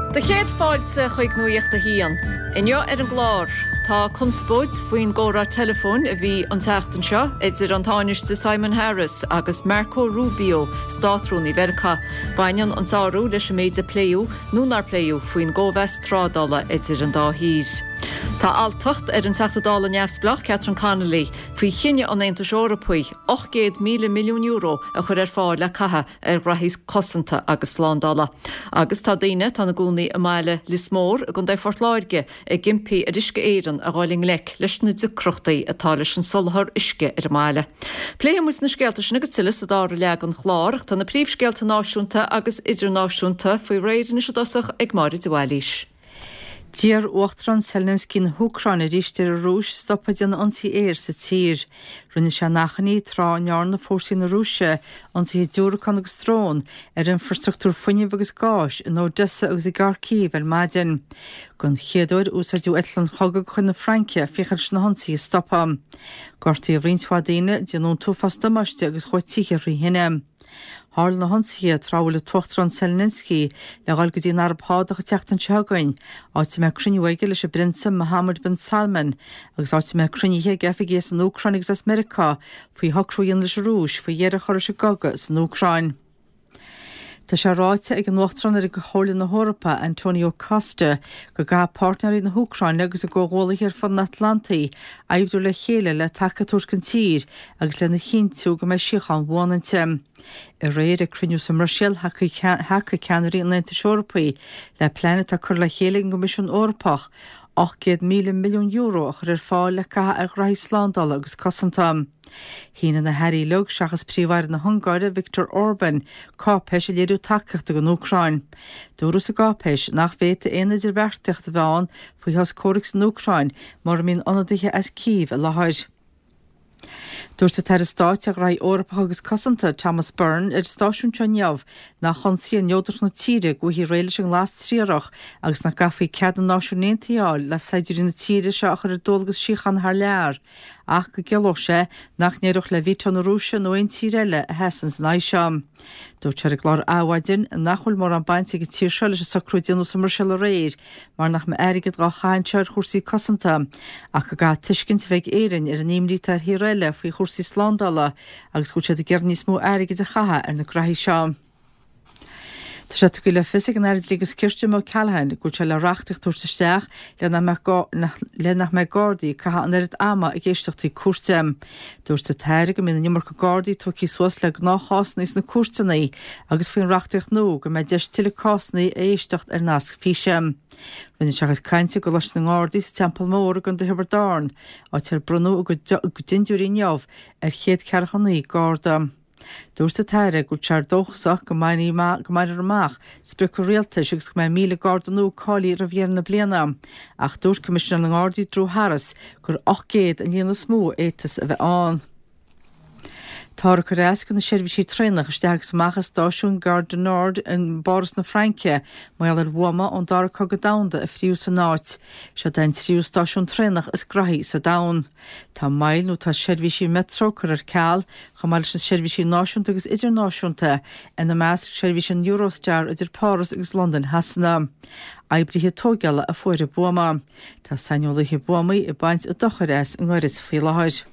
Do chéad fáilte chuig Nuacht a hAon. Inniu ar an gclár, tá conspóid faoin gcomhrá teileafóin a bhí an tseachtain seo idir an Tánaiste Simon Harris agus Marco Rubio, Státrúnaí Mheiriceá. Baineann an sárú leis an méid a pléadh nó nár pléadh faoin gcóimheas trádála idir an dá thír. Tá alltacht ar an Teachta Dála neamhspleách Catherine Connolly faoi chinneadh an Aontais Eorpaigh €800,000 milliún a chur ar fáil le caitheamh ar ghraithí cosanta agus slándála. Agus tá daoine atá ina gcónaí i mbaile Lios Mór i gContae Phort Láirge ag impí ar Uisce Éireann a dhul i ngleic leis na deacrachtaí atá leis an soláthar uisce ar an mbaile. Pléifidh muid na scéalta sin agus tuilleadh sa dara leath den chlár ach tá na príomhscéalta náisiúnta agus idirnáisiúnta faoi réir anois i dtosach ag Máire de Bhailís. D'iarr Uachtarán Zelensky na hÚcráine arís ar an Rúis stopadh ag déanamh ionsaí aeir sa tír. Rinne sé an achainí tráth a ndearna fórsaí na Rúise ionsaithe diúracán agus drón ar infreastruchtúr fuinnimh agus gáis in Odessa agus i gCarcív ar maidin. Don chéad uair, úsáideadh eitleáin chogaidh de chuid na Fraince féachaint leis na hionsaithe a stopadh. Gortaíodh roinnt mhaith daoine, déanadh an t-uafás damáiste agus chuaigh tithe thrí thine. Tharla na hionsaithe tráth a bhfuil an tUachtarán Zelensky le dhul go dtí an Araib Shádach an tseachtain seo chugainn, áit a mbeidh cruinniú aige leis an bPrionsa Mohammed bin Salman agus áit a mbeidh cruinnithe ag oifigigh as an Úcráin agus as Meiriceá faoi shocrú a dhéanamh leis an Rúis faoi dheireadh a chur leis an gcogadh san Úcráin. Tá sé ráite ag an Uachtarán ar Chomhairle na hEorpa, Antonio Costa, go gcaithfidh páirtnéirí na hÚcráine agus a gcomhghuallaithe ar fud an Atlantaigh oibriú le chéile le taca a thabhairt don tír agus lena chinntiú go mbeidh síocháin bhuan inti. Aréir ag cruinniú sa mBruiséil, thacaigh ceannairí an Aontais Eorpaigh le plean atá curtha le chéile ag an gCoimisiún Eorpach €800,000 milliún a chur ar fáil le caitheamh ar ghraithí slándála agus cosanta. Shínigh na hairí uilig, seachas Príomh-Aire na hUngáire, Viktor Orban, cáipéis ag léiriú tacaíochta don Úcráin. Dúradh sa gcáipéis nach bhféadfaidh aon idirbheartaíocht a bheith ann faoi shos comhraic san Úcráin mura mbíonn ionadaithe as Cív i láthair. Dúirt an tAire Stáit ar Ghraithí Eorpacha agus Cosanta, Thomas Byrne, ar an stáisiún seo inniu nach ionsaí ar neodracht na tíre go bhfaighfí réidh leis an nglas triarach agus nach gcaithfí cead na Náisiún Aontaithe a fháil le saighdiúirí na tíre seo a chur ar dualgas síochána thar lear ach go gciallódh sé nach n-éireodh le veto na Rúise nó aon tír eile a sheasann ina aghaidh seo. Dúirt sé ar an gclár Adhmhaidin nach bhfuil mórán bainte ag an tír seo leis an socrú a déanadh sa mBruiséil aréir mar nach mbeadh airgead dhá chaitheamh anseo ar chúrsaí cosanta, ach go gcaithfidh tuiscint a bheith ag Éirinn ar an imní atá ar thíortha eile faoi chúrsaí slándála agus go bhfuil siad ag iarraidh níos mó airgid a chaitheamh ar na graithí seo. Tá sé tugtha le fios ag an Aire Dlí agus Cirt Jim O'Callaghan go bhfuil sé le reachtaíocht a thabhairt isteach le nach mbeidh Gardaí ag caitheamh an oiread ama ag éisteachtaí cúirte. Dúirt an tAire go mbíonn an iomarca Gardaí tógtha suas le gnáthchásanna sna cúirteanna agus faoin reachtaíocht nua go mbeidh deis tuilleadh cásanna a éisteacht ar nasc físe. Rinne sé a chuid cainte i gColáiste na nGardaí sa Teampall Mór i gContae Thiobraid Árann, áit ar bronnadh a gcuid dindiúirí inniu ar chéad 49 Garda. Dúirt an tAire go bhfuil sé dóchasach go mbainfear amach sprioc an Rialtais agus go mbeidh 1,000 Garda nua cáilithe roimh dheireadh na bliana, ach dúirt Coimisinéir na nGardaí Drew Harris gur 800 an líon is mó a fhéadfas a bheith ann. Táthar ag cur as do na seirbhísí traenach isteach agus amach as stáisiún Gare du Nord i bPáras na Fraince mar gheall ar bhuama ón Dara Cogadh Domhanda a fríodh san áit. Seod é an tríú stáisiún traenach is graithí sa domhan. Tá moill nó tá seirbhísí Metro curtha ar ceal, chomh maith leis na seirbhísí náisiúnta agus idirnáisiúnta, ina measc seirbhís an Eurostar idir Páras agus Londain Shasana. Oibrithe tóigeála a fuair an buama. Tá saineolaithe buamaí ag baint an dochair as i ngoireas faoi láthair.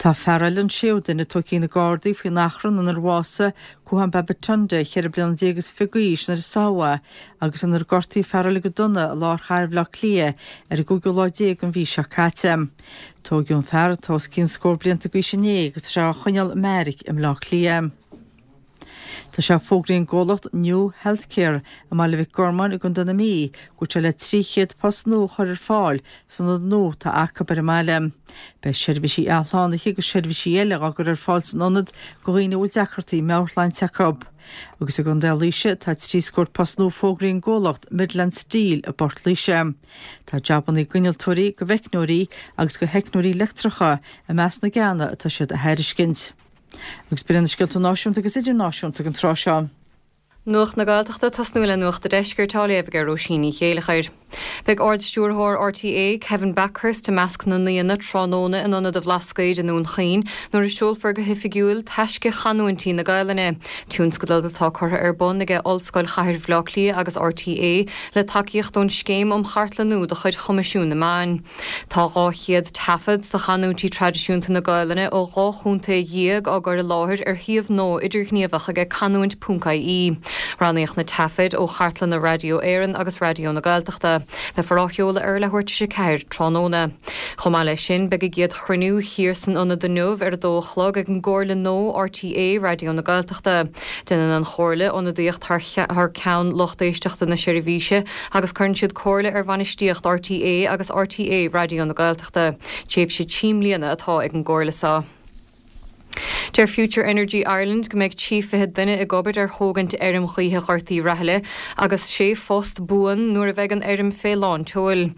Tá fear eile, an séú duine, tógtha ag na Gardaí faoin achrann inar bhásaigh Kuhan Babatunde, 14 bliana is fiche d'aois, nuair a sáthadh é agus inar gortaíodh fear eile go dona i lár chathair Bhaile Átha Cliath ar an gcúigiú lá déag den mhí seo caite. Tóigeadh an fear, atá os cionn scór blianta d'aois inné agus tá sé á choinneáil i mbeairic i mBleá Cliath. Tá sé fógraithe ag an gcomhlacht New Healthcare i mBaile Mhic Gormáin i gContae na Mí go bhfuil sé le 300 post nua a chur ar fáil san ionad nua atá acu ar an mbaile. Beidh seirbhísí athshlánaithe agus seirbhísí eile á gcur ar fáil san ionad do dhaoine a bhfuil deacrachtaí meabhairshláinte acu. Agus i gContae Laoise tá 3 scór post nua fógraithe ag an gcomhlacht Midland Steel i bPort Laoise. Tá jabannaí d'innealtóirí, do mheicneoirí agus do theicneoirí leictreacha i measc na gceanna atá siad a thairiscint. Agus b'in iad na scéalta náisiúnta agus idirnáisiúnta ag an tráth seo. Nuacht na Gaeltachta, tosnú le Nuacht an Deiscirt á léamh ag Róisín Ní Chéileachair. Beidh Ard-Stiúrthóir RTÉ, Kevin Bakhurst i measc na n-aíonna tráthnóna in Ionad an Bhlascaoid i nDún Chaoin nuair a seolfar go hoifigiúil Taisce Chanúintí na Gaelainne, tionscadal atá curtha ar bun aige Ollscoil Chathair Bhaile Átha Cliath agus RTÉ le tacaíocht ón Scéim um Chartlannú de chuid Choimisiún na Meán. Tá 200 taifead de chanúintí traidisiúnta na Gaelainne ó 12 chontae á gcur i láthair ar shuíomh nua idirghníomhach aige canúint ponc ie. Roghnaíodh na taifid ó chartlanna Raidió Éireann agus Raidió na Gaeltachta. Beifear á sheoladh ar a leathuair tar éis 4 tráthnóna. Chomh maith leis sin, beidh a gcéad chruinniú thiar san ionad inniu ar a dó a chlog ag an gComhairle nua RTÉ Raidió na Gaeltachta. Déanann an Chomhairle ionadaíocht thar ceann lucht éisteachta na seirbhíse agus cuireann siad comhairle ar bhainistíocht RTÉ agus RTÉ Raidió na Gaeltachta. Tréimhse 3 mbliana atá ag an gcomhairle seo. Deir Future Energy Ireland go mbeidh 23 duine ag obair ar thógaint fheirm ghaoithe Ghort Uí Rathaille agus sé phost buan nuair a bheidh an fheirm fé lán tseoil.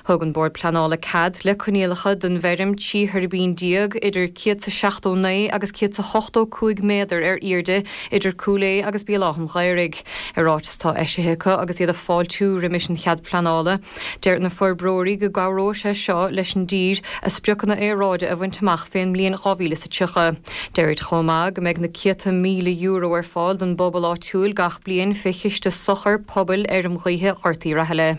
Thug an Bord Pleanála cead le coinníollacha don bhfeirm 13 thuirbín idir 179 agus 185 méadar ar airde idir Cúil Aodha agus Béal Átha an Ghaorthaidh. I ráiteas atá eisithe acu agus iad ag fáiltiú roimis an chead pleanála, deir na forbróirí go gcabhróidh sé seo leis an dtír a spriocanna aeráide a bhaint amach fén mbliain 2030. Deirid chomh maith go mbeidh na céadta míle euro ar fáil don bpobal áitiúil gach bliain fé chiste sochair pobail Fheirm Ghaoithe Ghort Uí Rathaille.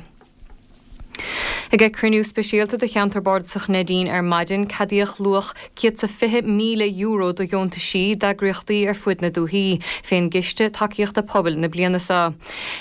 Ag cruinniú speisialta do Cheantar Bardasach Neidín ar maidin, ceadaíodh luach €120,000 do dheontaisí d'eagraíochtaí ar fuaid na dúthaí, fén gCiste Tacaíochta Pobail na bliana seo.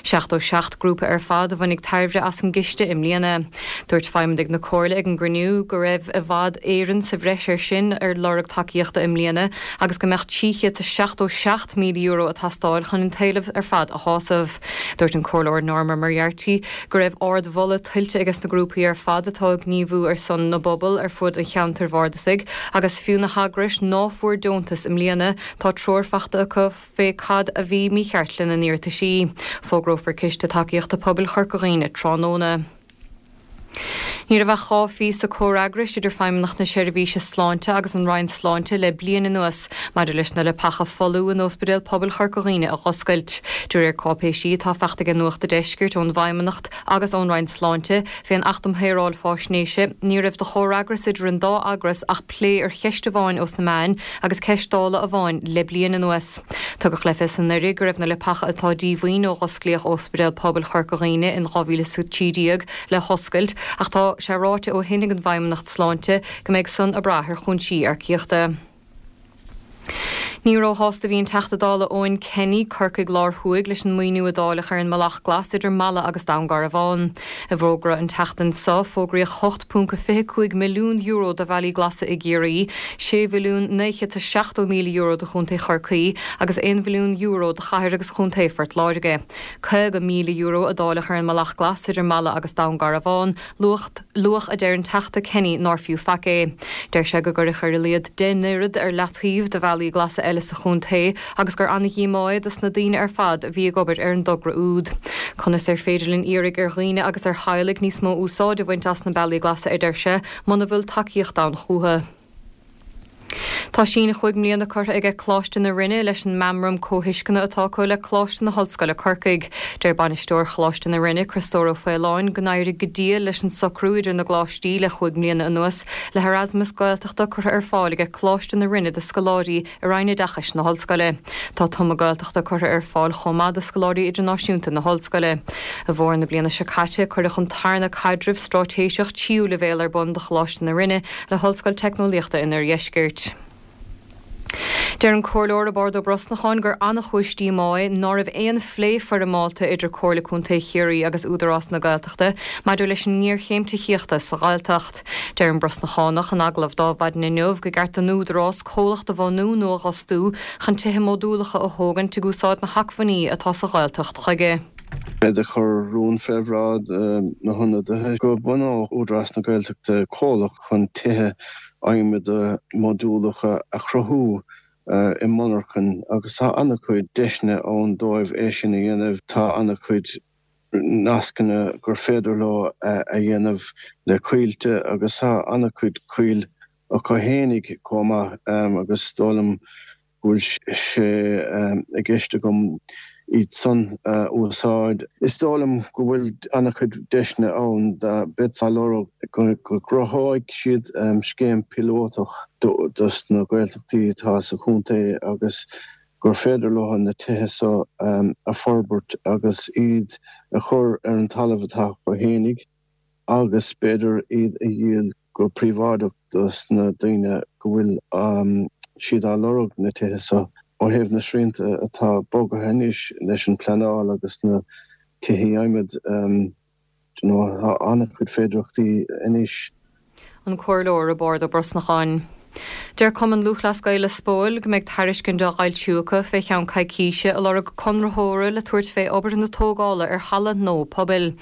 77 grúpa ar fad a bhainfidh tairbhe as an gciste i mbliana. Dúirt feidhmeannaigh na Comhairle ag an gcruinniú go raibh i bhfad Éireann sa bhreis air sin ar lorg tacaíochta i mbliana agus go mbeadh €377,000 ag teastáil chun an t-éileamh ar fad a shásamh. Dúirt an Comhairleoir Norma Moriarty go raibh ard-mholadh tuillte aige sna grúpaí ar fad atá ag gníomhú ar son na bpobal ar fud an cheantair bhardasaigh agus fiú na heagrais ná fuair deontas i mbliana tá treoir fachta acu fé cad a bhí mícheart lena n-iarrataisí. Fógrófar Ciste Tacaíochta Pobail Chorca Dhuibhne tráthnóna. Ní raibh ach 2 phíosa comhfhreagrais idir Feidhmeannacht na Seirbhíse Sláinte agus an Roinn Sláinte le bliain anuas maidir leis na leapacha folmha in Ospidéal Pobail Chorca Dhuibhne a dh'oscailt. De réir cáipéisí atá fachta aige Nuacht a' Deiscirt ón bhFeidhmeannacht agus ón Roinn Sláinte fén Acht um Shaoráil Fáisnéise, ní raibh de chomhfhreagras idir an dá eagras ach plé ar cheist amháin ós na meáin agus ceist Dála amháin le bliain anuas. Tugadh le fios anuraidh go raibh na leapacha atá díomhaoin ó dh'osclaíodh Ospidéal Pobail Chorca Dhuibhne in 2013 le hoscailt ach tá sé ráite ó shin ag an bhFeidhmeannacht Sláinte go mbeidh san ag brath ar chúinsí earcaíochta. Ní róshásta a bhí an Teachta Dála Eoin Kenny, Corcaigh Láir Thuaidh, leis an maoiniú a dáileadh ar an mbealach glas idir Mala agus Dún Garbhán. I bhfógra an tseachtain seo, fógraíodh €8.25 milliún do bhealaí glasa i gCiarraí, €6,970,000 do Chontae Chorcaí agus €1 mhilliún do Chathair agus Chontae Phort Láirge. €50,000 a dáileadh ar an mbealach glas idir Mala agus Dún Garbhán, luach a deir an Teachta Kenny nár fiú faic é. Deir sé go gcuirfeadh ar a laghad 10 n-oiread ar leataobh do bhealaí glasa eile sa chontae agus gur ana-dhíomá é dos na daoine ar fad a bhí ag obair ar an dtogra úd. Conas ar féidir linn iarraidh ar dhaoine agus ar theaghlaigh níos mó úsáid a bhaint as na bealaí glasa, a deir sé, muna bhfuil tacaíocht ann chúthu. Tá síneadh chúig mbliana curtha aige Coláiste na Rinne leis an meamram comhthuisceana atá acu le Coláiste na hOllscoile Corcaigh. Deir bainisteoir Choláiste na Rinne, Criostóir Ó Faoláin, go n-éirigh go diail leis an socrú idir na gcoláistí le chúig mbliana anuas le hErasmus Gaeltachta curtha ar fáil aige Coláiste na Rinne do scoláirí i Roinn Oideachais na hOllscoile. Tá tumadh Gaeltachta curtha ar fáil chomh maith do scoláirí idirnáisiúnta na hOllscoile. I bhfómhar na bliana seo caite, cuireadh an tarna caidreamh straitéiseach tríú leibhéal ar bun do Choláiste na Rinne le hOllscoil Teicneolaíochta an Oirdheiscirt. Deir an Comhairleoir Roibeárd Ó Brosnacháin gur an-chúis díomá é ná raibh aon phlé foirmeálta idir Comhairle Contae Chiarraí agus Údarás na Gaeltachta maidir leis an ngéarchéim tithíochta sa Ghaeltacht. Deir an Brosnachánach in agallamh d'Adhmhaidin inniu go gceart don Údarás comhlacht a bhunú nó a dh'fhostú chun tithe módúlacha a thógaint ag úsáid na hacmhainní atá sa Ghaeltacht chuige. Bead ag cur rún fé bhráid na hionadaithe go bunódh Údarás na Gaeltachta comhlacht chun tithe adhmaid módúlacha a chruthú i monarchain agus tá an-chuid deiseanna ann dóibh é sin a dhéanamh. Tá an-chuid nascanna gur féidir leo a dhéanamh le coillte agus tá an-chuid coill acu fhéinig chomh maith agus is dóigh liom go bhfuil sé i gceist agam. iad san a úsáid. Is dóigh liom go bhfuil an-chuid deiseanna ann beidh á lorg go gcruthóidh siad scéim píolótach dos na Gaeltachtaí atá sa chontae agus gur féidir leo na tithe so a forbairt agus iad a chur ar an talamh atá acu fhéinig agus b'fhéidir iad a dhíol go príobháideach dos na daoine go bhfuil siad á lorg na tithe so. Ó thaobh na srianta atá bogaithe anois leis an pleanáil agus na tithe adhmaid, you know, tá an-chuid féidireachtaí anois. An Comhairleoir Roibeárd Ó Brosnacháin. Deir Cumann Lúthchleas Gael Lios Póil go mbeidh tairiscint á fhoilsiú acu fé cheann coicíse ag lorg conraitheora le tabhairt fé obair na tógála ar halla nua pobail.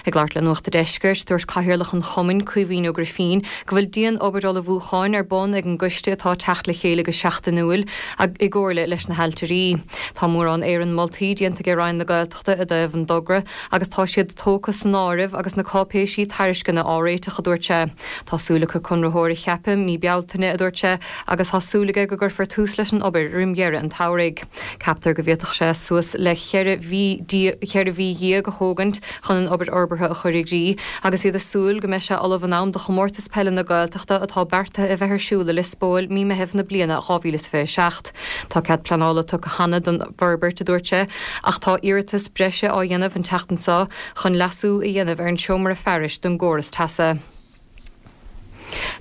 Ag labhairt le Nuacht a' Deiscirt, dúirt Cathaoirleach an Chumainn, Caoimhín Ó Grifín, go bhfuil dian-obair ullmhúcháin ar bun ag an gcoiste atá ag teacht le chéile go seachtainiúil i gcomhairle leis na hailtirí. Tá mórán éarann moltaí déanta ag Roinn na Gaeltachta i dtaobh an dtogra agus tá siad tógtha san áireamh agus na cáipéisí tairisceana á réiteach, a dúirt sé. Tá súil acu conraitheoir a cheapadh mí Bealtaine, a dúirt sé, agus tá súil aige go gcuirfear tús leis an obair roim dheireadh an tsamhraidh. Ceaptar go bhféadfadh sé suas le cheithre mhí a thógaint chun an obair fhorbartha a chur i gcrích agus iad ag súil go mbeidh sé ullamh in am do Chomórtas Peile na Gaeltachta atá beartaithe a bheith ar siúl i Lios Póil mí Meithimh na bliana 2027. Tá cead pleanála tugtha cheana don bhforbairt, a dúirt sé, ach tá iarratas breise á dhéanamh an tseachtain seo chun leasú a dhéanamh ar an seomra fearais don gcóras teasa.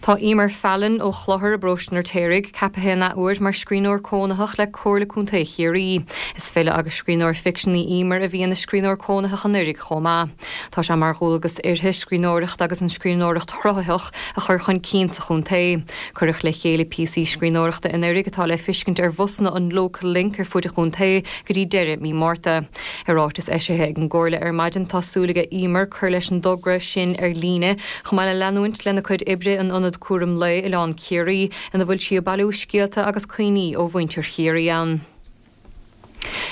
Tá Emer Fallon ó Chlochar i bparóiste an Fheirtéaraigh ceapaithe an athuair mar scríbhneoir cónaitheach le Comhairle Contae Chiarraí. Is file agus scríbhneoir ficsin í Emer a bhí ina scríbhneoir cónaitheach anuraidh chomh maith. Tá sé mar dhualgas uirthi scríbhneoireacht agus an scríbhneoireacht chruthaitheach a chur chun cinn sa chontae. Cuireadh le chéile píosaí scríbhneoireachta anuraidh atá le feiscint ar bhusanna an Local Link ar fud an chontae go dtí deireadh mí Márta. I ráiteas eisithe ag an gComhairle ar maidin tá súil ag Emer cur leis an dtogra sin ar líne, chomh maith le leanúint lena cuid oibre in Ionad Cúram Lae Oileán Ciarraí ina bhfuil sí ag bailiú scéalta agus cuimhní ó mhuintir Chiarraí ann.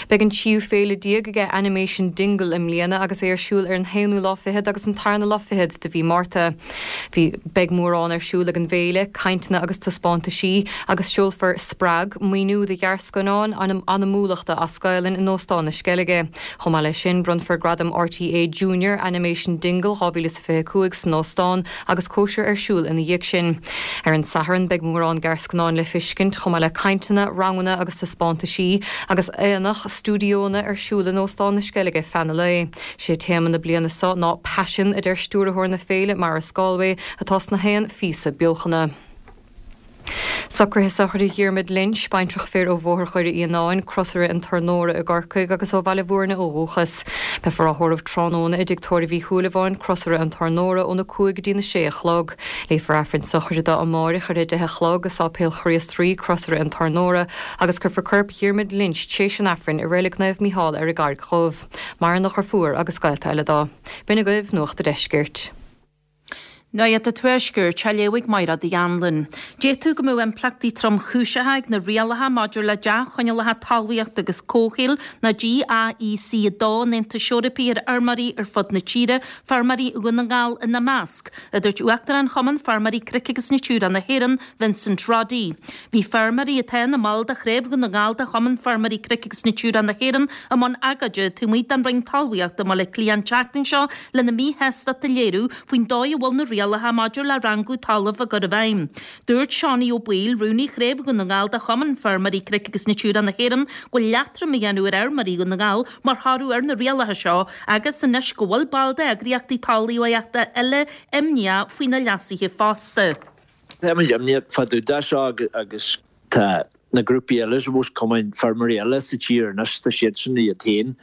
Beidh an tríú féile déag aige Animation Dingle i mbliana agus é ar siúl ar an haonú lá fichead agus an tarna lá fichead de mhí Márta. Bhí Beidh mórán ar siúl ag an bhféile, cainteanna agus taispeántaisí, agus seolfar Spreag, maoiniú do ghearrscannáin anamúlachta as Gaelainn in Óstán na Sceilge. Chomh maith leis sin, bronnfar Gradam RTÉ Junior Animation Dingle 2025 san óstán agus cóisir ar siúl ina dhiaidh sin. Ar an Satharn, beidh mórán gearrscannán le feiscint, chomh maith le cainteanna, ranganna agus taispeántaisí, agus aonach stiúideonna ar siúl in Óstán na Sceilge feadh an lae. Sé téama na bliana seo ná 'Paisean', a deir stiúrthóir na féile, Maurice Galway, atá sna haon phíosa beochana. Socruithe sochraide Dhiarmaid Lynch, baintreach fir ó Bhóthar Dhoire Fhíonáin, Crosaire an Tornóra i gCorcaigh agus ó Bhaile Bhúirne ó dhúchas. Beifear á thórramh tráthnóna i dTigh Tórraimh Uí Shúilleabháin, Crosaire an Tornóra, óna 5 go dtí na 6 a chlog. Léifear Aifreann sochraide dó amáireach ar a 10 a chlog i Sáipéal Chríost Rí, Crosaire an Tornóra, agus cuirfear corp Dhiarmaid Lynch tréis an Aifrinn i Reilig Naomh Mícheál ar an gCarraig Dhubh. Maireann a dheirfiúr agus gaolta eile dó. B'in agaibh Nuacht a' Deiscirt. Nuacht an Tuaiscirt, á léamh ag Mairéad Uí Anluain. D'fhéadfadh go mbeadh impleachtaí tromchúiseacha ag na rialacha maidir le dea-choinníollacha talmhaíochta agus comhshaoil, nó GAEC 2 an Aontais Eorpaigh ar fheirmeoirí ar fud na tíre, feirmeoirí Dhún na nGall ina measc, a dúirt Uachtarán Chumann Feirmeoirí Cnoic agus Natura na hÉireann, Vincent Roddy. Bhí feirmeoirí atá ina mbaill de Chraobh Dhún na nGall de Chumann Feirmeoirí Cnoic agus Natura na hÉireann i mbun agóide taobh amuigh den Roinn Talmhaíochta i mBaile Átha Cliath an tseachtain seo lena míshástacht a léiriú faoin dóigh a bhfuil na rialacha maidir le rangú talaimh á gcur i bhfeidhm. Dúirt Seánie Ó Baoill, Rúnaí Chraobh Dhún na nGall de Chumann Feirmeoirí Cnoic agus Natura na hÉireann, go bhfuil leatrom á dhéanamh ar fheirmeoirí Dhún na nGall mar thoradh ar na rialacha seo agus anois go bhfuil baill d'eagraíochtaí talmhaíochta eile imníoch faoi na leasuithe fosta. Tá muid imníoch fá dtaobh de seo agus tá na grúpaí eile, suppose, cumainn feirmeoirí eile sa tír anois, tá siadsan iad féin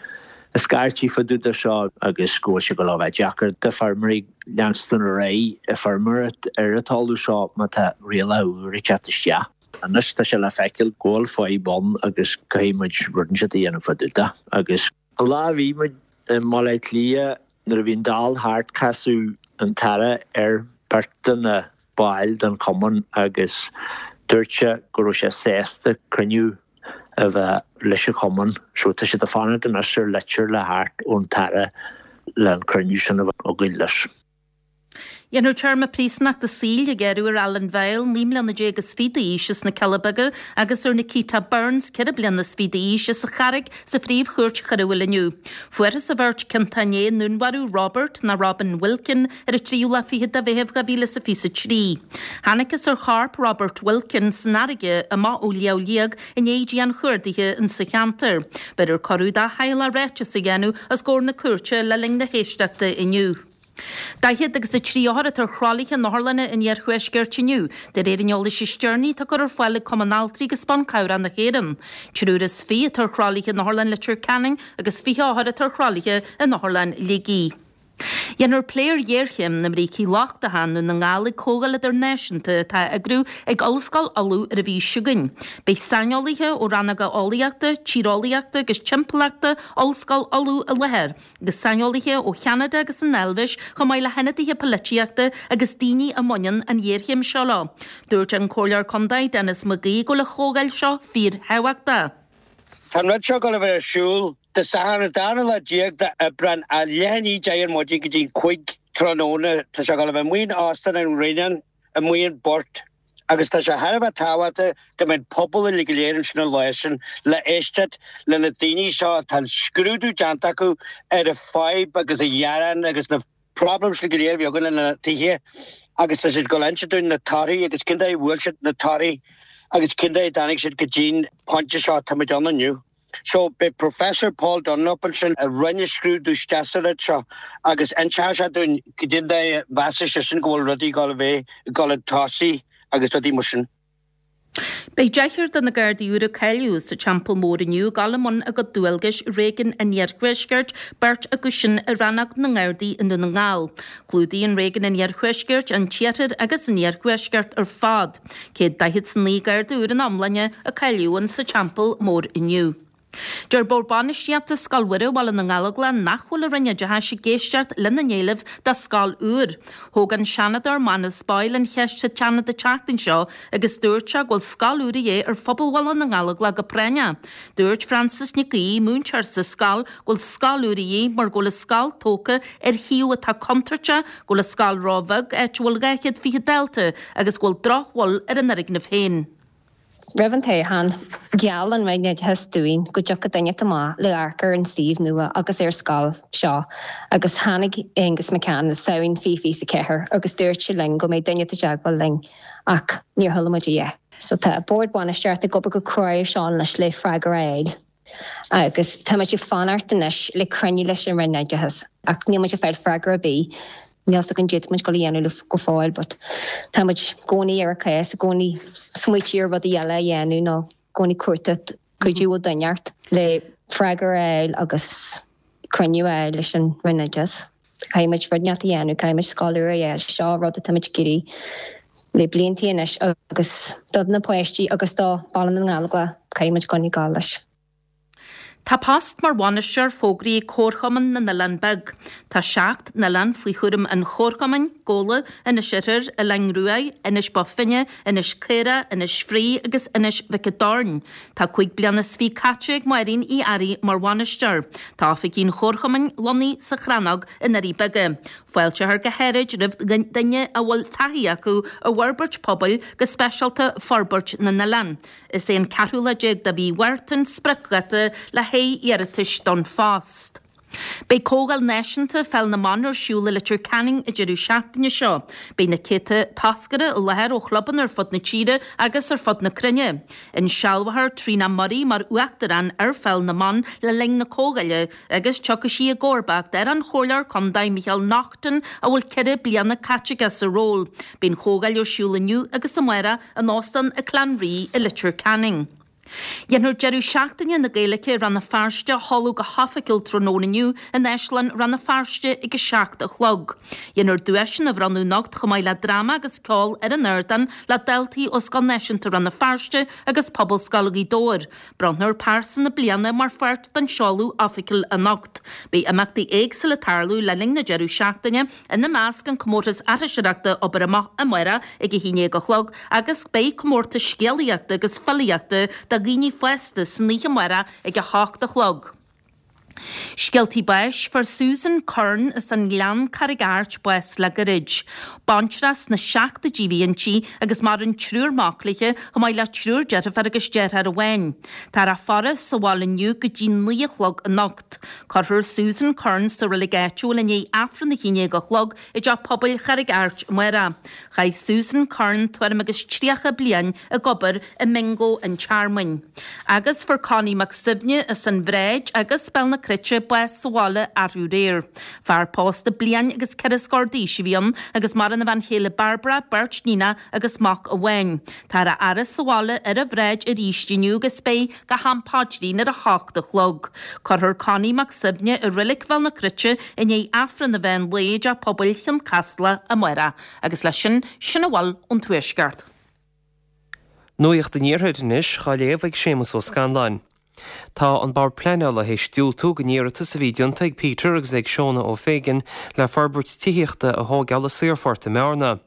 ag scairtigh fá dtaobh de seo agus go bhfuil sé ag dul a bheith deacair do feirmeoirí leanstan ar aghaidh ag feirmeoireacht ar an talamh seo má tá rialacha úra ag teacht isteach. Anois tá sé le feiceáil go bhfuil fadhb ann agus caithfidh muid rud inteacht a dhéanamh fá dtaobh de agus. An lá a bhí muid i mBaile Átha Cliath nuair a bhí an Dáil thart casadh an tAire ar beirt de na baill den chumann agus dúirt sé go raibh sé sásta cruinniú a bheith leis an chumann so tá siad ag fanacht anois ar litir le theacht ón tAire le an cruinniú sin a bheith againn leis. Déanfar téarma príosúnachta saoil a ghearradh ar Alan Vile, 19 mbliana is fiche d'aois, as na Cealla Beaga agus ar Nikita Burns, 24 bliana d'aois, as an Charraig sa Phríomh-Chúirt Choiriúil inniu. Fuarthas an bheirt ciontach inné i ndúnmharú Robert nó Robin Wilkin ar an tríú lá fichead de Mheitheamh 2023. Thángthas ar chorp Robert Wilkin san fharraige amach ó Shliabh Liag i ndiaidh dianchuardaithe insa cheantar. Bhéarfar cuireadh dá theaghlach ráiteas a dhéanamh os comhair na cúirte le linn na héisteachta inniu. 40 agus 3 othar atá ar thralaithe in otharlanna an iarthuaiscirt inniu, de réir an eolais is deireanaí atá curtha ar fáil ag Cumann Altraí agus Ban Cabhrach na hÉireann. Triúr is 20 atá ar thralaithe in Otharlann Leitir Ceanainn agus 20 othar atá ar thralaithe in Otharlann Shligigh. Déanfar plé ar ghéarchéim na mbrící lochtacha i nDún na nGall ag comhdháil idirnáisiúnta atá á eagrú ag Ollscoil Uladh ar an mhí seo chugainn. Beidh saineolaithe ó rannóga eolaíochta, tíreolaíochta agus timpeallachta Ollscoil Uladh i láthair. agus saineolaithe ó Cheanada agus an Eilvéis chomh maith le hionadaithe polaitíochta agus daoine a mbaineann an ghéarchéim seo leo. Dúirt an Comhairleoir Contae Denis Mac Aoidh go bhfuil an chomhdháil seo fíorthábhachtach. Tá an rud seo ag dul a bheith ar siúl Dé Sathairn an darna lá déag d'Aibreán ó leath i ndiaidh 10 ar maidin go dtí an 5 tráthnóna. Tá sé ag dul a bheith amuigh in Óstán an Ghrianáin amuigh an Port agus tá sé thar a bheith tábhachtach go mbeidh an pobal uilig go léir ansin an lá sin le éisteacht le na daoine seo atá an scrúdú déanta acu ar an fadhb agus an ghearán agus na problems go léir a bhí againn lena tithe agus tá siad ag dul a inse dúinn na torthaí agus cén dóigh a bhfuair siad na torthaí agus cén dóigh a dtáinig siad go dtí'n pointe seo tá muid ann inniu. So, beidh Professor Paul Dunlop ansin a rinne scrúdú isteach sa rud seo agus inseoidh sé dúinn cén dóigh a mheasann seisean go bhfuil rudaí ag dul a bheith ag dul chun tosaigh agus rudaí mar sin. Beidh deichniúr de na Gardaí úr a cáilíodh sa Teampall Mór inniu ag dul i mbun a gcuid dualgais i réigiún an Iarthuaiscirt, beirt acu sin i Rannóg na nGardaí i nDún na nGall. Clúdaíonn réigiún an Iarthuaiscirt an tIarthar agus an Iarthuaisceart ar fad. 149 Garda úr ina iomláine a cáilíodh sa Teampall Mór inniu. Deir Bord Bainistíochta Scoil Mhuire Bhaile na nGallóglach nach bhfuil an Roinn Oideachais ag éisteacht lena n-éileamh do scoil úr. Thóg an Seanadóir Manus Boyle an cheist sa tSeanad an tseachtain seo agus dúirt sé go bhfuil scoil úr a dhíth ar phobal Bhaile na nGallóglach go práinneach. Dúirt Frances Nic Aoidh, múinteoir sa scoil, go bhfuil scoil úr a dhíth mar go bhfuil an scoil tógtha ar shuíomh atá contúirteach, go bhfuil an scoil ró-bheag, áit a bhfuil 220 dalta, agus go bhfuil drochbhail ar an fhoirgneamh féin. Roimh an toghchán, gheall an Roinn Oideachais dúinn go dtiocfadh duine amach le amharc ar an suíomh nua agus ar scoil seo agus tháinig Aengus McCann i Samhain 2024 agus dúirt sé linn go mbeidh duine i dteagmháil linn ach níor chuala muid a dhath. So tá Bord Bainistíochta ag obair go crua ar seo anois le freagra a fháil agus tá muid ag fanacht anois le cruinniú leis an Roinn Oideachais ach níl muid ag fáil freagra ar bith. Níl 's againn cad tá muid ag dul a dhéanamh go fóill but tá muid i gcónaí ar an cás, i gcónaí smaoitiú ar rudaí eile a dhéanamh nó i gcónaí cuartú cuidiú ó duine inteacht le freagra a fháil agus cruinniú a fháil leis an Roinn Oideachais. Caithfidh muid rud inteacht a dhéanamh, caithfidh muid scoil úr a fháil, seo rud atá muid ag iarraidh le bliantaí anois agus do na páistí agus do Baile na nGallóglach caithfidh muid coinneáil ag dul leis. Tá post mar bhainisteoir fógraithe ag Comharchumann na nOileán Beag. Tá 7 n-oileán faoi chúram an Chomharchumainn, Gabhla, Inis Oirthir, Oileán Ruaidh, Inis Bó Finne, Inis Caorach, Inis Fraoigh agus Inis Mhic an Doirn. Tá 5 bliana is fiche caite ag Máirín Uí Fhearraigh mar bhainisteoir. Tá oifigí an Chomharchumainn lonnaithe sa Chrannóg i nDoirí Beaga. Fáilteofar go háirid roimh duine a bhfuil taithí acu i bhforbairt pobail, go speisialta forbairt na n-oileán. Is é an ceathrú lá déag de mhí Mhárta an spriocdháta le haghaidh iarratais don phost. Beidh Comhdháil Náisiúnta Pheil na mBan ar siúl i Leitir Ceanainn an deireadh seachtaine seo. Beidh na céadta toscaire i láthair ó chlubanna ar fud na tíre agus ar fud na cruinne. Insealbhófar Tríona Murray mar Uachtarán ar Pheil na mBan le linn na comhdháile agus tiocfaidh sí i gcomharbacht ar an Chomhairleoir Contae Micheál Naughton a bhfuil ceithre bliana caite aige sa ról. Beidh an chomhdháil ar siúl inniu agus amárach in Óstán an Clanree i Leitir Ceanainn. Déanfar deireadh seachtaine na Gaeilge i Rann na Feirste a sheoladh go hoifigiúil tráthnóna inniu in Áislann Rann na Feirste ag 7 a chlog. Déanfar duaiseanna a bhronnadh anocht chomh maith le dráma agus ceol ar an ardán le daltaí ó Scoil Náisiúnta Rann na Feirste agus Pobalscoil Ghaoth Dobhair. Bronnfar Pearsa na Bliana mar pháirt den seoladh oifigiúil anocht. Beidh imeachtaí éagsúla ag tarlú le linn na deireadh seachtaine, ina measc an comórtas aithriseoireachta Obair Amach amárach ag 11 a chlog agus beidh comórtas scéalaíochta agus filíochta do dhaoine fásta san oíche amárach ag 8 a chlog. Scéaltaí báis, Fuair Susan Curran as an nGleann, Carraig Airt, bás le gairid. Baintreach sna seachtóidí a bhí inti agus maireann triúr mac léi chomh maith le triúr deirfiúr agus deartháir amháin. Táthar á faire sa bhaile inniu go dtí 9 a chlog anocht. Cuirfear Susan Curran sa reilig áitiúil i ndiaidh Aifreann a 11 a chlog i dTeach Pobail Charraig Airt amárach. Chaith Susan Curran tuairim agus 30 bliain ag obair i mBingo an Tearmainn. Agus fuair Connie Mac Suibhne as an Bhráid agus Béal na Cruite bás sa bhaile arú aréir. Fear pósta bliain agus ceithre scór d'aois a bhí ann agus maireann a bhean chéile Barbara, beirt níonach agus mac amháin. Táthar á fhaire sa bhaile ar an Bhráid arís inniu agus beidh go ham paidrín ar a hocht a chlog. Cuirfear Connie Mac Suibhne i Reilig Bhéal na Cruite i ndiaidh Aifreann an mheán lae i dTeach Pobail Chionn Caslach amárach. Agus leis sin, sin a bhfuil ón Tuaisceart. Nuacht an Iarthair anois dhá léamh ag Séamus Ó Scanláin. Tá an Bord Pleanála théis diúltú don iarratas a bhí déanta ag Peter agus ag Shona O'Fagan le forbairt tithíochta a thóigeáil i Saorphort i mBearna.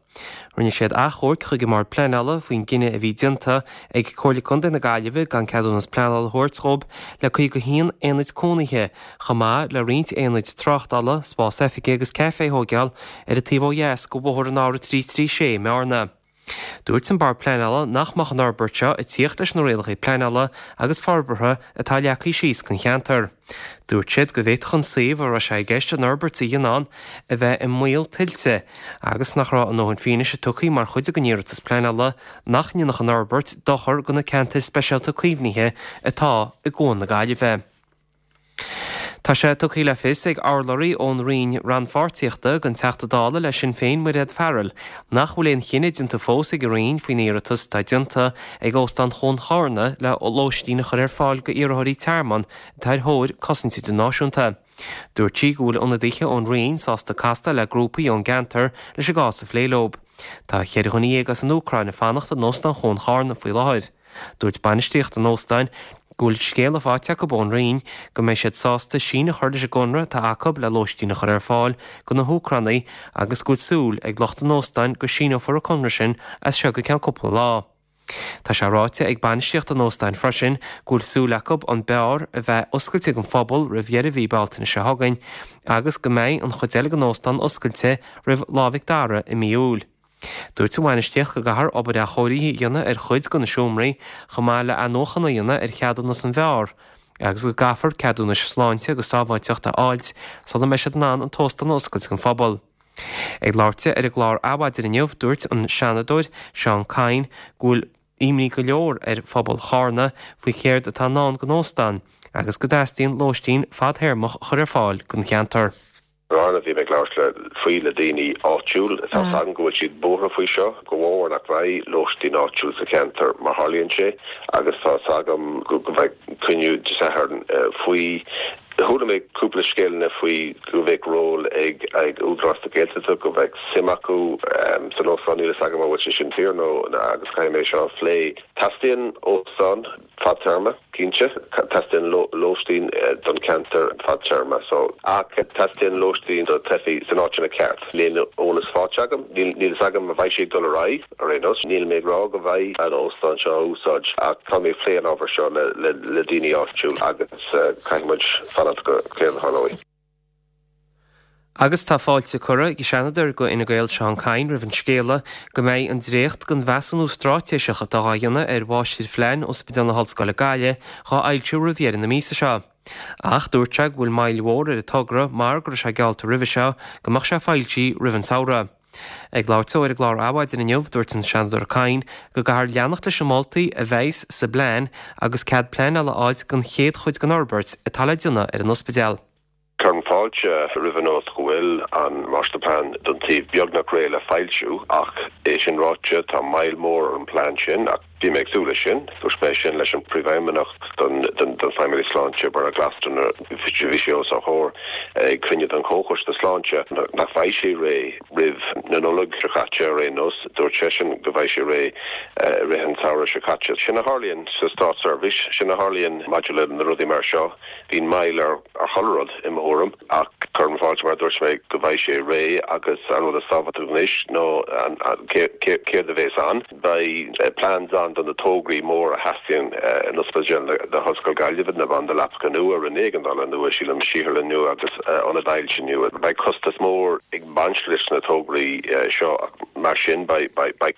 Rinne siad achomharc chuig an mBord Pleanála faoin gcinneadh a bhí déanta ag Comhairle Contae na Gaillimhe gan ceadúnas pleanála a thabhairt dhóibh le 51 aonaid cónaithe, chomh maith le roinnt aonaid tráchtála, spás oifige agus caife a thóigeáil ar an taobh ó dheas de bhóthar an R336 i mBearna. Dúirt an Bord Pleanála nach mbeadh an fhorbairt seo ag tíocht leis na rialacha pleanála agus forbartha atá leagtha síos don cheantar. Dúirt siad go bhféadfadh an suíomh a raibh sé i gceist an fhorbairt a dhéanamh ann a bheith i mbaol tuilte agus nach raibh a ndóthain fianaise tugtha mar chuid den iarratas pleanála nach ndéanfadh an fhorbairt dochar do na ceantair speisialta caomhnaithe atá i gCuan na Gaillimhe. Tá sé tugtha le fios ag urlabhraí ón Roinn Rannpháirtíochta don Teachta Dála le Sinn Féin Mairéad Farrell nach bhfuil aon chinneadh déanta fós ag an Roinn faoin iarratas atá déanta ag Óstán Chuan Charna le lóistín a chur ar fáil do iarrthóirí tearmainn atá ar thóir cosaint idirnáisiúnta. Dúirt sí go bhfuil ionadaithe ón Roinn sásta castáil le grúpaí ón gceantar leis an gcás a phlé leo. Tá cheithre dhuine dhéag as an Úcráin ag fanacht in Óstán Chuan Charna faoi láthair. Dúirt bainistíocht an óstáin go bhfuil scéala faighte acu ón Roinn go mbeidh siad sásta síneadh a chur leis an gconradh atá acu le lóistín a chur ar fáil do na hÚcránaigh agus go bhfuil súil ag lucht an óstáin go síneofar an conradh sin as seo go ceann cúpla lá. Tá sé ráite ag bainistíocht an óstáin freisin go bhfuil súil acu an beár a bheith oscailte don phobal roimh dheireadh mhí Bealtaine seo chugainn agus go mbeidh an chuid eile den óstán oscailte roimh Lá Mhic Dara i mí Iúil. Dúirt an bhainistíocht go gcaithfear obair athchóirithe a dhéanamh ar chuid de na seomraí, chomh maith le athnuachan a dhéanamh ar cheadúnas an bheáir, agus go gcaithfear ceadúnais sláinte agus sábháilteachta a fháilt sula mbeidh siad in ann an t-óstán a oscailt don phobal. Ag labhairt di ar an gclár Adhmhaidin inniu, dúirt an Seanadóir Seán Kyne go bhfuil imní go leor ar phobal Charna faoi chéard atá i ndán don óstán agus go dteastaíonn lóistín fadthéarmach a chur ar fáil don cheantar. Bhearna, bhí mé ag labhairt le faoi le daoine áitiúil. Tá 's agam go bhfuil siad buartha faoi seo, go bhfómhar nach mbeidh lóistín áitiúil sa cheantar mar tharlaíonn sé agus tá 's agam go mbeidh cruinniú Dé Sathairn faoi. Chuala mé cúpla scéalanna faoi go mbeadh ról ag ag Údarás na Gaeltachta, go mbeadh suim acu san óstán. Níl 'fhios agam an bhfuil sé sin fíor nó agus caithfidh mé seo a phlé. Teastaíonn óstán. Fadtéarma, cinnte. Teastaíonn lóistín don cheantar fadtéarma so. Ach teastaíonn lóistín do theifigh san áiteanna ceart. Níl aon eolas faighte agam. Níl fhios agam an mbeidh sé ag dul ar aghaidh ar aon nós. Níl mé ag rá go mbeidh an óstán seo á úsáid ach tá mé ag plé an ábhar seo le daoine áitiúil agus caithfidh muid fanacht go céard a tharlóidh. Agus tá fáilte curtha ag an Seanadóir do Fhine Gael Seán Kyne roimh an scéala go mbeidh an dréacht den mheasúnú straitéiseach atá dhá dhéanamh ar Mháistirphlean Ospidéal na hOllscoile Gaillimh dhá fhoilsiú roimh dheireadh na míosa seo. Ach dúirt sé go bhfuil moill mhór ar an togra mar go raibh sé geallta roimhe seo go mbeadh sé foilsithe roimh an samhradh. Ag labhairt dó ar an gclár Adhmhaidin inniu, dúirt an Seanadóir Kyne go gcaithfear leanacht leis na moltaí a bheas sa bplean agus cead pleanála a fháilt don chéad chuid den fhorbairt atá le déanamh ar an ospidéal. Cuirim fáilte roimh an nuacht go bhfuil an Máistirphlean don taobh beagnach réidh le foilsiú ach é sin ráite tá moill mhór ar an bplean sin ach bhí mé ag súil leis sin. Dúirt mé sin leis an Príomhfheidhmeannach don Feidhmeannas Sláinte, Bernard Glasson nuair a bhí sé os ár gcomhair ag cruinniú den Chomhchoiste Sláinte nach mbeidh sé réidh roimh na Nollag seo caite ar aon nós. Dúirt seisean go mbeidh sé réidh i rith an tsamhraidh seo caite. Sin a tharlaíonn sa státseirbhís, sin a tharlaíonn maidir le na rudaí mar seo. Bíonn moill ar chuile rud, i mo thuairim, ach cuirim fáilte, mar a dúirt mé, go mbeidh sé réidh agus an rud is tábhachtaí anois ná céard a bheas ann. Beidh plans ann. mórán de na tograí móra a theastaíonn in Ospidéal na hOllscoile Gaillimhe, na banda leapacha nua, roinn éigeandála nua, sílim, saotharlann nua agus ionad ailse nua. Beidh costas mór ag baint leis na tograí seo ach mar sin beidh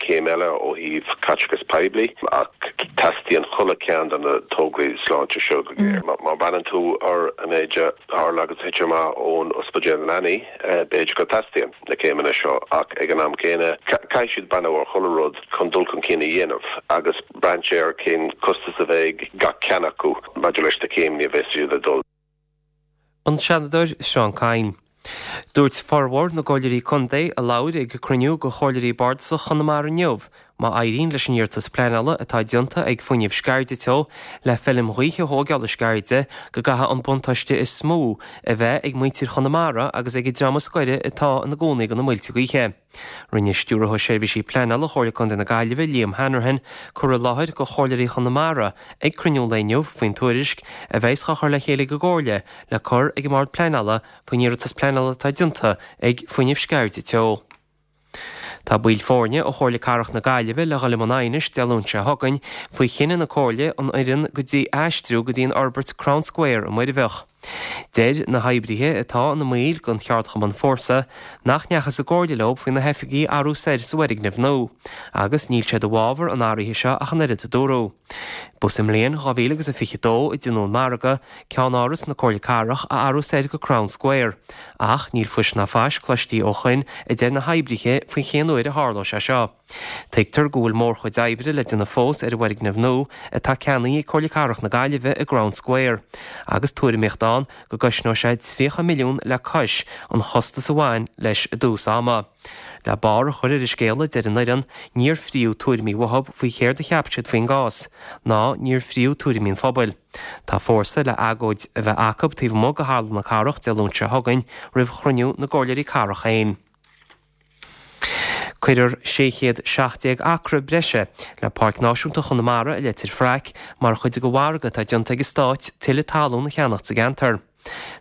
céim eile ó thaobh caiteachas poiblí ach teastaíonn chuile cheann de na tograí sláinte seo go géar. Má bhreathnaíonn tú ar an méid a tharla agus a thit amach ón ospidéal leanaí, b'fhéidir go dteastaíonn na céimeanna seo ach ag an am céanna caithfidh siad breathnú ar chuile rud chun dul chun cinn a dhéanamh agus breathnú ar cén costas a bheidh ag gach ceann acu maidir leis na céimeanna a bheas siad ag dul. An Seanadóir Seán Kyne. Dúirt formhór na gComhairleoirí Contae a labhair ag cruinniú de Chomhairleoirí Bardasacha Chonamara inniu má éiríonn leis an iarratas pleanála atá déanta ag Fuinneamh Sceirde Teo le feilm ghaoithe a thóigeáil i Sceirde go gcaithfidh an buntáiste is mó a bheith ag muintir Chonamara agus ag an dream is gaire atá ina gcónaí do na muilte gaoithe. Rinne Stiúrthóir Seirbhísí Pleanála Chomhairle Contae na Gaillimhe, Liam Hanrahan, cur i láthair do Chomhairleoirí Chonamara ag cruinniú an lae inniu faoin tuairisc a bheas á chur le chéile ag an gComhairle le cur ag an mBord Pleanála faoin iarratas pleanála atá déanta ag Fuinneamh Sceirde Teo. Tá baill foirne ó Chomhairle Cathrach na Gaillimhe le dhul i mbun aighnis Dé Luain seo chugainn faoi chinneadh na Comhairle an fhoireann go dtí aistriú go dtí an fhorbairt Crown Square i Muirbheach. Deir na hoibrithe atá ina mbaill den cheardchumann Fórsa nach ndeachthas i gcomhairle leo faoi na hoifigí a athrú soir sa bhfoirgneamh nua agus níl siad i bhfabhar an athraithe seo ach an oiread a dúradh. Ba sa mbliain 2000 agus a 22 a deineadh an margadh ceannáras na Comhairle Cathrach a athrú soir go Crown Square ach níl fuis ná fais cloistí ó shoin a deir na hoibrithe faoi cén uair a tharlóidh sé seo. Tuigtear go bhfuil mórchuid oibre le déanamh fós ar an bhfoirgneamh nua atá ceannaithe ag Comhairle Cathrach na Gaillimhe i gCrown Square agus tuairimíocht ann go gcosnóidh sé 30 milliún le cois an chostais a bhain leis i dtús ama. Le barr a chur ar an scéal a deir an fhoireann, níor fríodh tuairimí uathub faoi chéard a cheap siad faoin gcás, ná níor fríodh tuairimí an phobail. Tá Fórsa le agóid a bheith acu taobh amuigh de Halla na Cathrach Dé Luain seo chugainn roimh chruinniú na gComhairleoirí Cathrach féin. Cuirfear 617 acra breise le Páirc Náisiúnta Chonamara i Leitir Fraic mar chuid de mhargadh atá déanta ag an Stát tuilleadh talún a cheannacht sa gceantar.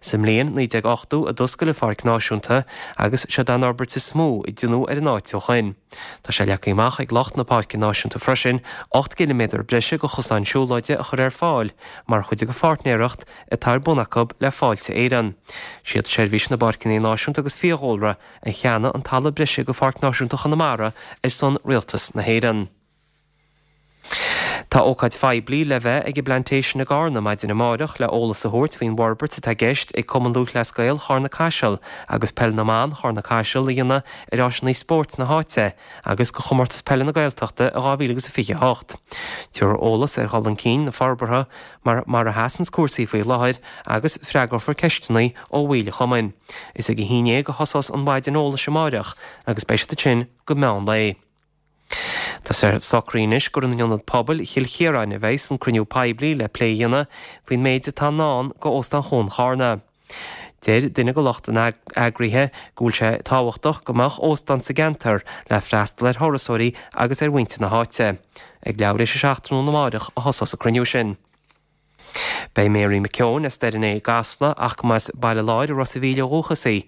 Sa mbliain 1980 a d'oscail an Pháirc Náisiúnta agus seod é an fhorbairt is mó a deineadh ar an áit ó shoin. Tá sé leagtha amach ag lucht na Páirce Náisiúnta freisin 8 gciliméadar breise de chosáin siúlóide a chur ar fáil mar chuid de pháirtnéireacht atá ar bun acu le Fáilte Éireann. Siad Seirbhís na bPáirceanna Náisiúnta agus Fiadhúlra a cheannaigh an talamh breise do Pháirc Náisiúnta Chonamara ar son Rialtas na hÉireann. Tá ócáid phoiblí le bheith ag an bPlantation i gCarna maidin amáireach le eolas a thabhairt faoin bhforbairt atá i gceist ag Cumann Lúthchleas Gael Charna Caiseal agus Peil na mBan Charna Caiseal a dhéanamh ar áiseanna spóirt na háite agus do Chomórtas Peile na Gaeltachta i 2028. Tabharfar eolas ar dhul chun cinn na forbartha mar mar a sheasanns cúrsaí faoi láthair agus freagrófar ceisteanna ó bhaill an chumainn. Is ag a haon dhéag a thosós an mhaidin eolais amáireach agus beidh siad ansin go meán lae. Tá sé socraithe anois gur in Ionad Pobail Chill Chiaráin a bheidhs an cruinniú poiblí le plé a dhéanamh faoin méid atá i ndán go Óstán Chuan Charna. Deir duine de lucht an eagraithe go bhfuil sé tábhachtach go mbeadh óstán sa gceantar le freastal ar thurasóirí agus ar mhuintir na háite. Ag leathuair théis a 7 tráthnóna amáireach a thosós an cruinniú sin. Beidh Mary McKeown as Doire an Fhéich i gCasla ach go mba as Baile Láir i Ros a' Mhíl ó dhúchas í.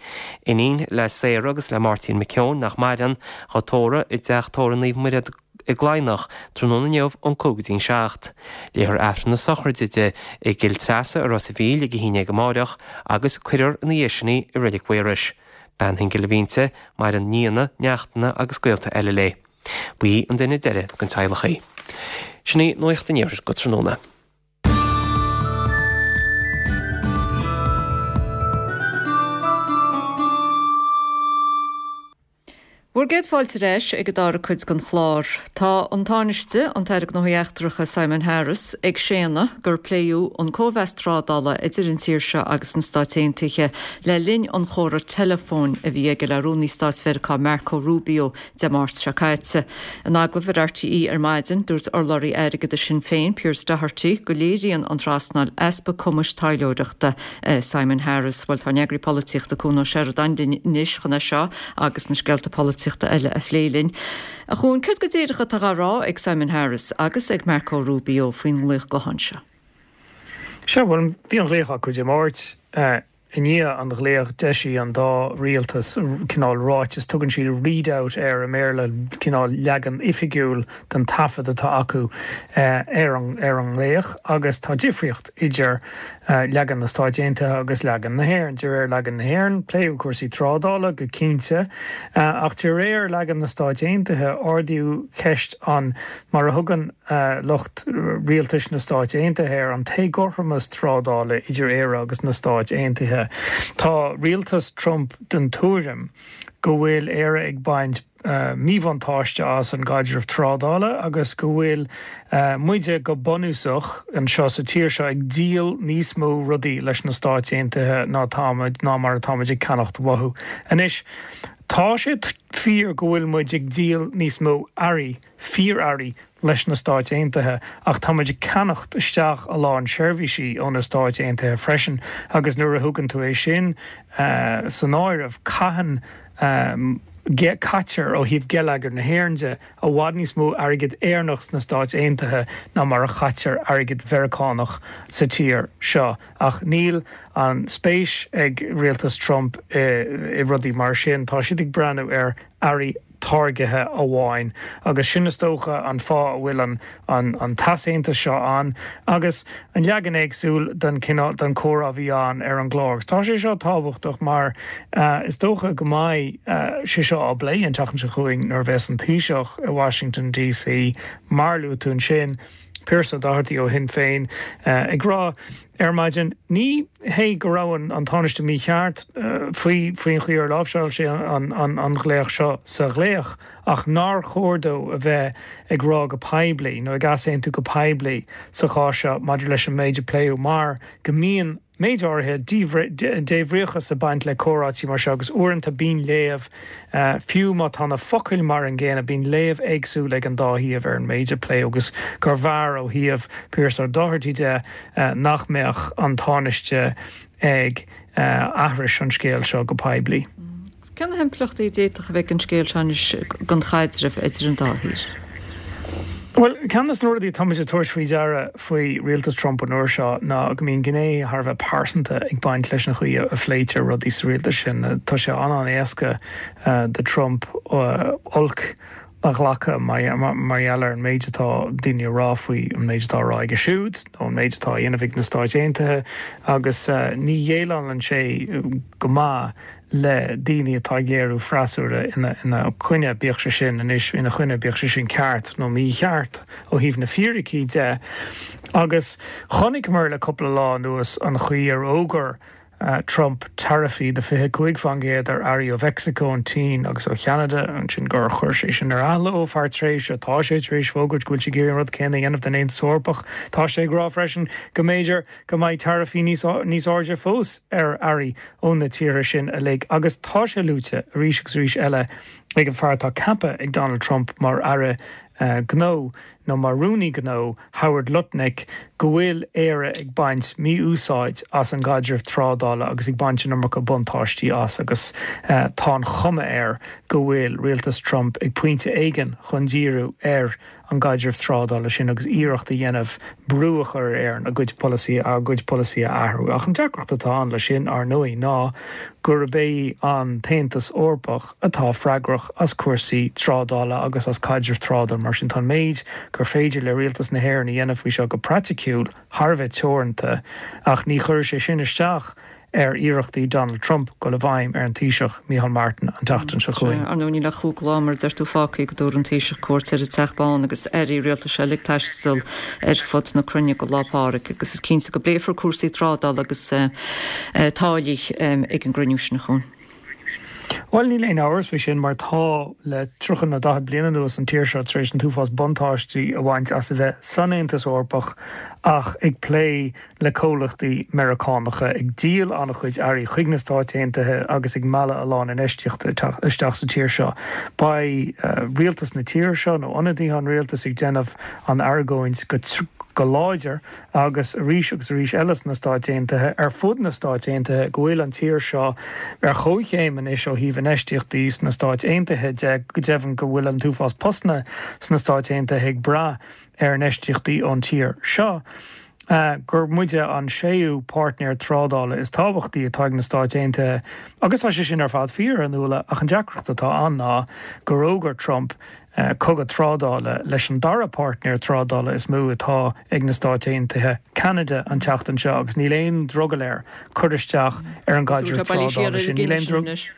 Iníon le Sarah agus le Máirtín McKeown, nach maireann, dhá tórramh i dTeach Tórraimh Naomh Muire i gCladhnach tráthnóna inniu ón 5 go dtí'n 7. Léifear Aifreann na sochraide di i gCill Treasa i Ros a' Mhíl ag a haon dhéag amáireach agus cuirfear ina dhiaidh sin í i Reilig Mhaorais. Bean shingil a bhí inti, maireann nianna, neachtanna agus gaolta eile léi. Ba í an duine deiridh den teaghlach í. Sin í Nuacht an Iarthair go tráthnóna. Bhur gcéad fáilte ar ais ag an dara cuid den chlár. Tá an Tánaiste, an tAire Gnóthaí Eachtracha Simon Harris, ag séanadh gur pléadh an cóimheas trádála idir an tír seo agus na Stáit Aontaithe le linn an chomhrá teileafóin a bhí aige le Rúnaí Stáit Mheiriceá Marco Rubio Dé Máirt seo caite. In agallamh ar RTÉ ar maidin, dúirt urlabhraí airgeadais Shinn Féin, Pearse Doherty, go léiríonn an trasnáil easpa cumais taidhleoireachta Simon Harris. Bhuel, tá ár n-eagraí polaitíochta Cuan Ó Seireadáin linn anois chun é seo agus na scéalta polaitíochta eile a phlé linn. A Chuain, céard go díreach atá á rá ag Simon Harris agus ag Marco Rubio faoin nglaoch gutháin seo? Sea, bhuel, bhí an ghlaoch acu Dé Máirt. I ndiaidh an ghlaoch, d'eisigh an dá rialtas cineál ráiteas, tugann siad read-out air i mBéarla, cineál leagan oifigiúil den taifead atá acu ar an nglaoch agus tá difríocht idir leagan na Stáit Aontaithe agus leagan na hÉireann. De réir leagan na hÉireann, pléadh cúrsaí trádála go cinnte, ach de réir leagan na Stáit Aontaithe, ardaíodh ceist an, mar a thugann lucht rialtais na Stáit Aontaithe air, an t-éagothromas trádála idir Éire agus na Stáit Aontaithe. Tá rialtas Trump den tuairim go bhfuil Éire ag baint míbhuntáiste as an gcaidreamh trádála agus go bhfuil muide go bunúsach anseo sa tír seo ag díol níos mó rudaí leis na Stáit Aontaithe ná táimid ná mar atáimid ag ceannacht uathu. Anois, tá sé fíor go bhfuil muid ag díol níos mó earraí fíor-earraí leis na Stáit Aontaithe ach tá muid ag ceannacht isteach a lán seirbhísí ó na Stáit Aontaithe freisin agus nuair a thugann tú é sin san áireamh, caitheann, caitear ó thaobh geilleagar na hÉireann de, i bhfad níos mó airgead Éireannach sna Stáit Aontaithe ná mar a chaitear airgead Mheiriceánach sa tír seo. Ach níl an spéis ag rialtas Trump i rudaí mar sin, tá siad ag breathnú ar earraí táirgithe amháin agus sin is dócha an fáth a bhfuil an an t-easaontas seo ann agus an leagan éagsúil den cineál den chomhrá a bhí ann ar an gclár. Agus tá sé seo tábhachtach mar is dócha go mbeidh sé seo á bplé an tseachtain seo chugainn nuair a bheas an Taoiseach i Washington DC mar luaigh tú ansin, Pearse Doherty ó Shinn Féin ag rá ar maidin, ní hé go raibh an Tánaiste mícheart faoi faoin chaoi ar láimhseáil sé an ghlaoch seo sa ghlaoch ach nár chóir dó a bheith ag rá go poiblí nó ag easaontú go poiblí sa chás seo maidir leis an méid a pléadh mar go mbíonn méid áirithe débhríochas ag baint le comhráití mar seo agus uaireanta bíonn léamh, fiú má tá na focail mar an gcéanna, bíonn léamh éagsúil ag an dá thaobh ar an méid a pléadh agus gurbh fhearr ó thaobh Pearse Doherty de nach mbeadh an Tánaiste ag aithris an scéil seo go poiblí. Cé na himpleachtaí a d'fhéadfadh a bheith ag an scéal seo anois don chaidreamh idir an dá thír? Bhuel, ceann de na rudaí atá muid ag tabhairt faoi deara faoi rialtas Trump an uair seo ná go mbíonn gné thar a bheith pearsanta ag baint leis an chaoi a phléitear rudaí sa rialtas sin. Tá sé an-an-éasca do Trump olc a ghlacadh mar gheall ar an méid atá daoine a rá faoi an méid atá á rá aige siúd nó an méid atá á dhéanamh ag na Stáit Aontaithe agus ní dhéileálann sé go maith le daoine atá ag léiriú freasúra ina choinne, bíodh sé sin anois ina choinne, bíodh sé sin ceart nó mícheart ó thaobh na fíricí de. Agus chonaiceamar le cúpla lá anuas an chaoi ar fhógair Trump taraifí de 25% ar earraí ó Mheicsiceo, an tSín agus ó Cheanada, ansin gur chuir sé sin ar athló feadh tréimhse. Tá sé tar éis fógairt go bhfuil sé ag iarraidh an rud céanna a dhéanamh don Aontas Eorpach. Tá sé ag rá freisin go mb'fhéidir go mbeidh taraifí níos níos airde fós ar earraí ó na tíortha sin uilig agus tá sé luaite arís agus arís eile ag an fear atá ceaptha ag Donald Trump mar aire gnó nó mar rúnaí gnó, Howard Lutnick, go bhfuil Éire ag baint mí-úsáid as an gcaidreamh trádála agus ag baint an iomarca buntáistí as agus tá an chuma air go bhfuil rialtas Trump ag pointe éigin chun díriú ar an gcaidreamh trádála sin agus iarracht a dhéanamh brú a chur ar Éirinn a gcuid polasaí a gcuid polasaí a athrú. Ach an deacracht atá ann leis sin, ar ndóigh, ná gurb é an tAontas Eorpach atá freagrach as cúrsaí trádála agus as caidreamh trádála. Mar sin, tá an méid gur féidir le rialtas na hÉireann a dhéanamh faoi seo go praiticiúil thar a bheith teoranta, ach ní chuirfidh sé sin isteach ar iarrachtaí Donald Trump dul i bhfeidhm ar an Taoiseach Micheál Martin an tseachtain seo chugainn. Ar ndóigh, níl ach cúpla lá, mar a deir tú, fágtha go dtabharfaidh an Taoiseach cuairt ar an Teach Bán agus airí rialtais eile ag taisteal ar fud na cruinne go Lá Pádraig agus is cinnte go bpléifear cúrsaí trádála agus táillí ag an gcruinniú sin, a Chuain. Bhuel, níl aon amhras faoi sin mar tá le 30 nó 40 bliain anuas an tír seo tar éis an t-uafás buntáistí a bhaint as a bheith san Aontas Eorpach ach ag plé le comhlachtaí Meiriceánacha, ag díol an-chuid earraí chuig na Stáit Aontaithe agus ag mealladh a lán infheistíochta isteach sa tír seo. Beidh rialtas na tíre seo, nó ionadaithe an rialtais, ag déanamh an argóint go láidir agus arís agus arís eile sna Stáit Aontaithe, ar fud na Stáit Aontaithe, go bhfuil an tír seo ar chomhchéim anois ó thaobh infheistíochtaí sna Stáit Aontaithe de, go deimhin go bhfuil an t-uafás postanna sna Stáit Aontaithe ag brath ar infheistíochtaí ón tír seo. gur muide an séú páirtnéir trádála is tábhachtaí atá ag na Stáit Aontaithe agus tá sé sin ar fad fíor, a Nuala, ach an deacracht atá ann ná gur fhógair Trump cogadh trádála leis an dara páirtnéir trádála is mó atá ag na Stáit Aontaithe, Ceanada, an tseachtain seo agus níl aon drogall air cur isteach ar an gcaidreamh trádála sin. Níl aon drogall.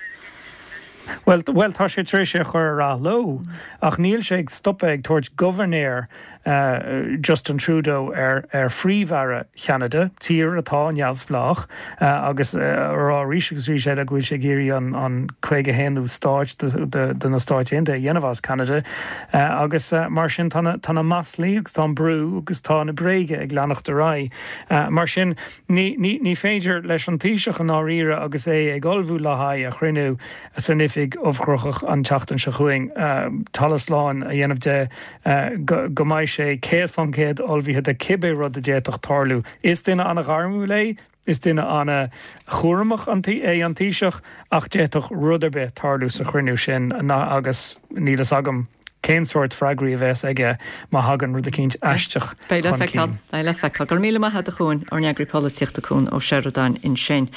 Bhuel, bhuel, tá sé tar éis é a chur ar athló, ach níl sé ag stopadh ag tabhairt gobharnéir Justin Trudeau ar ar Phríomh-Aire Cheanada, tír atá neamhspleách, agus a rá arís agus arís eile go bhfuil sé ag iarraidh an an 51ú stáit de na Stáit Aontaithe a dhéanamh as Ceanada. Agus mar sin tá na tá na maslaí agus tá an brú agus tá na bréaga ag leanacht ar aghaidh. Mar sin ní ní ní féidir leis an Taoiseach i ndáiríre agus é ag ullmhú le haghaidh a chruinniú san oifig ubhchruthach an tseachtain seo chugainn talamh slán a dhéanamh de go mbeidh sé 100% ullmhaithe do cibé rud a d'fhéadfadh tarlú. Is duine an-ghairmiúil é, is duine an-chúramach é an Taoiseach ach d'fhéadfadh rud ar bith tarlú sa chruinniú sin agus níl fhios agam cén sórt freagraí a bheas aige má thagann rud eicínt aisteach Beidh le chun feiceáil. cinn. Beidh le feiceáil. Go raibh míle maith agat a Chuain, ár n-eagraí polaitíochta Cuan Ó Seireadáin ansin.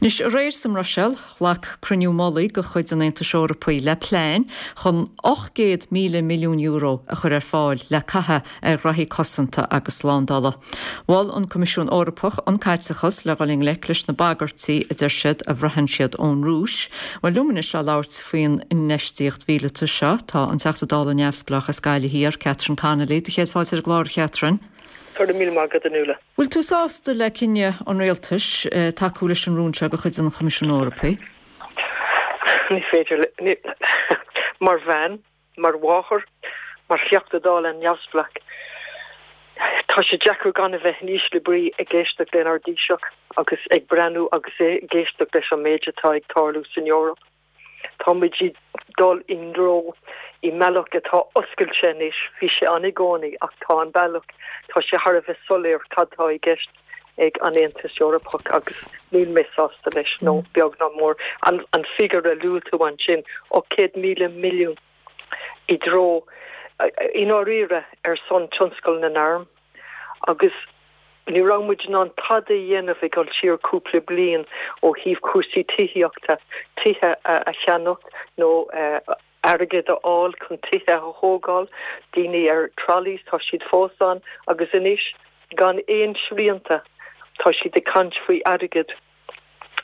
Anois, aréir sa mBruiséil, Ghlac cruinniú mullaigh de chuid an Aontais Eorpaigh le plean chun €800,000 milliún a chur ar fáil le caitheamh ar ghraithí cosanta agus slándála. Mhol an Coimisiún Eorpach an caiteachas le dhul i ngleic leis na bagairtí, a deir siad, a bhraitheann siad ón Rúis. Bhuel, liom anois le labhairt faoin infheistíocht mhíleata seo, tá an Teachta Dála neamhspleách as Gaillimh Thiar, Catherine Connolly. Do chéad fáilte ar an gclár, a Chatherine. Go raibh míle maith agat, a Nuala. Bhfuil tú sásta le cinneadh an Rialtais tacú leis an rún seo de chuid an Choimisiúin Eorpaigh? Ní féidir le. Mar bhean, mar mháthair, mar Theachta Dála neamhspleách, tá sé deacair gan a bheith in ísle brí ag éisteacht lenár dTaoiseach agus ag breathnú agus ag éisteacht leis an méid atá ag tarlú san Eoraip. Tá muid ag dul i dtreo i mbealach atá oscailte anois, bhí sé ann i gcónaí ach tá an bealach, tá sé thar a bheith soiléir cad tá i gceist ag an Aontas Eorpach agus níl mé sásta leis, nó beag ná mór. An figiúr a luaigh tú ansin, 800,000 milliún i dtreo, i ndáiríre, ar son tionscal na n-arm agus Ní raibh muid in ann tada a dhéanamh ag dul siar cúpla bliain ó thaobh cúrsaí tithíochta, tithe a cheannach nó airgead a fháil chun tithe a thógáil, daoine ar trolleys, tá siad fós ann agus anois gan aon srianta tá siad ag caint faoi airgead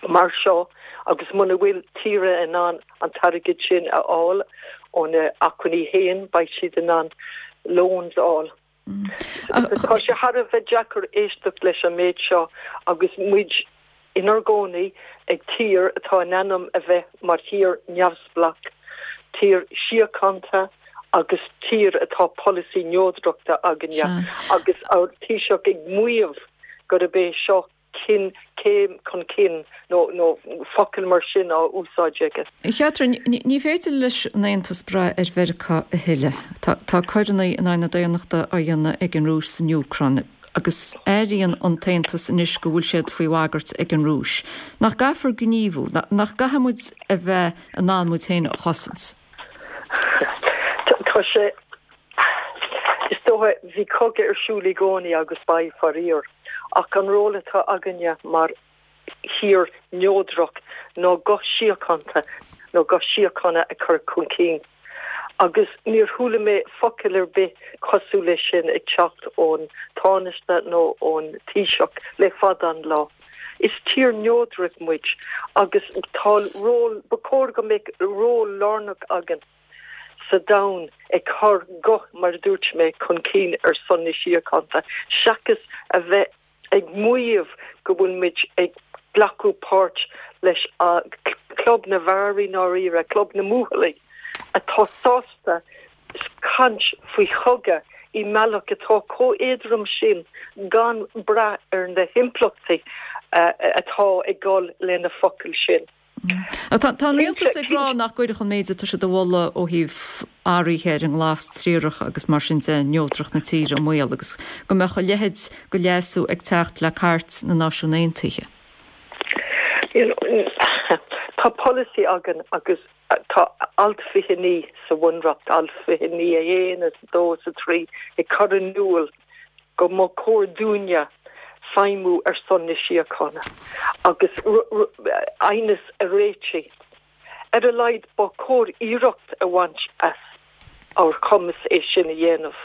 mar seo agus muna bhfuil tíortha in ann an t-airgead sin a fháil óna acmhainní féin beidh siad in ann loans a fháil. Tá sé thar a bheith deacair éisteacht leis an méid seo agus muid inár gcónaí ag tír atá in ainm a bheith mar thír neamhspleách, tír síochánta agus tír atá polasaí neodrachta againne agus ár Taoiseach ag maíomh gurb é seo cinn, céim chun cinn nó nó focail mar sin á úsáid aige. A Chatherine, ní féidir leis an Aontas brath ar Mheiriceá a thuilleadh. Tá tá coireanna in aghaidh na daonnachta á dhéanamh ag an Rúis san Úcráin agus airíonn an tAontas anois go bhfuil siad faoi bhagairt ag an Rúis. Nach gcaithfear gníomhú? Nach gcaithfidh muid a bheith in ann muid féin a chosaint? Tá sé Is dócha, bhí cogadh ar siúl i gcónaí agus beidh, faraor. Ach an ról atá againne mar thír neodrach ná guth síochánta nó guth síochána a chur chun cinn. Agus níor chuala mé focal ar bith cosúil leis sin ag teacht ón Tánaiste nó ón Taoiseach le fada an lá. Is tír neodrach muid agus tá ról, ba chóir go mbeadh ról lárnach againn. sa domhan ag cur guth, mar a dúirt mé, chun cinn ar son na síochána, seachas a bheith ag maíomh go bhfuil muid ag glacadh páirt leis club na bhfear i ndáiríre, club na mbuachaillí atá sásta caint faoi chogadh i mbealach atá chomh éadrom sin gan brath ar na himpleachtaí atá ag dul lena focail sin. Tá an rialtas ag rá nach gcuirfeadh an méid atá siad a mholadh ó thaobh athruithe ar an nglas triarach agus mar sin de neodracht na tíre i mbaol agus go mbeadh a leithéid de leasú ag teacht le Cairt na Náisiún Aontaithe. Tá polasaí againn agus tá alt 29 sa Bhunreacht, alt 29 1 is 2 is 3 ag cur in iúl go mba chóir dúinne. feidhmiú ar son na síochána agus aighneas a réitigh. Ar a laghad ba chóir iarracht a bhaint as ár chumas é sin a dhéanamh.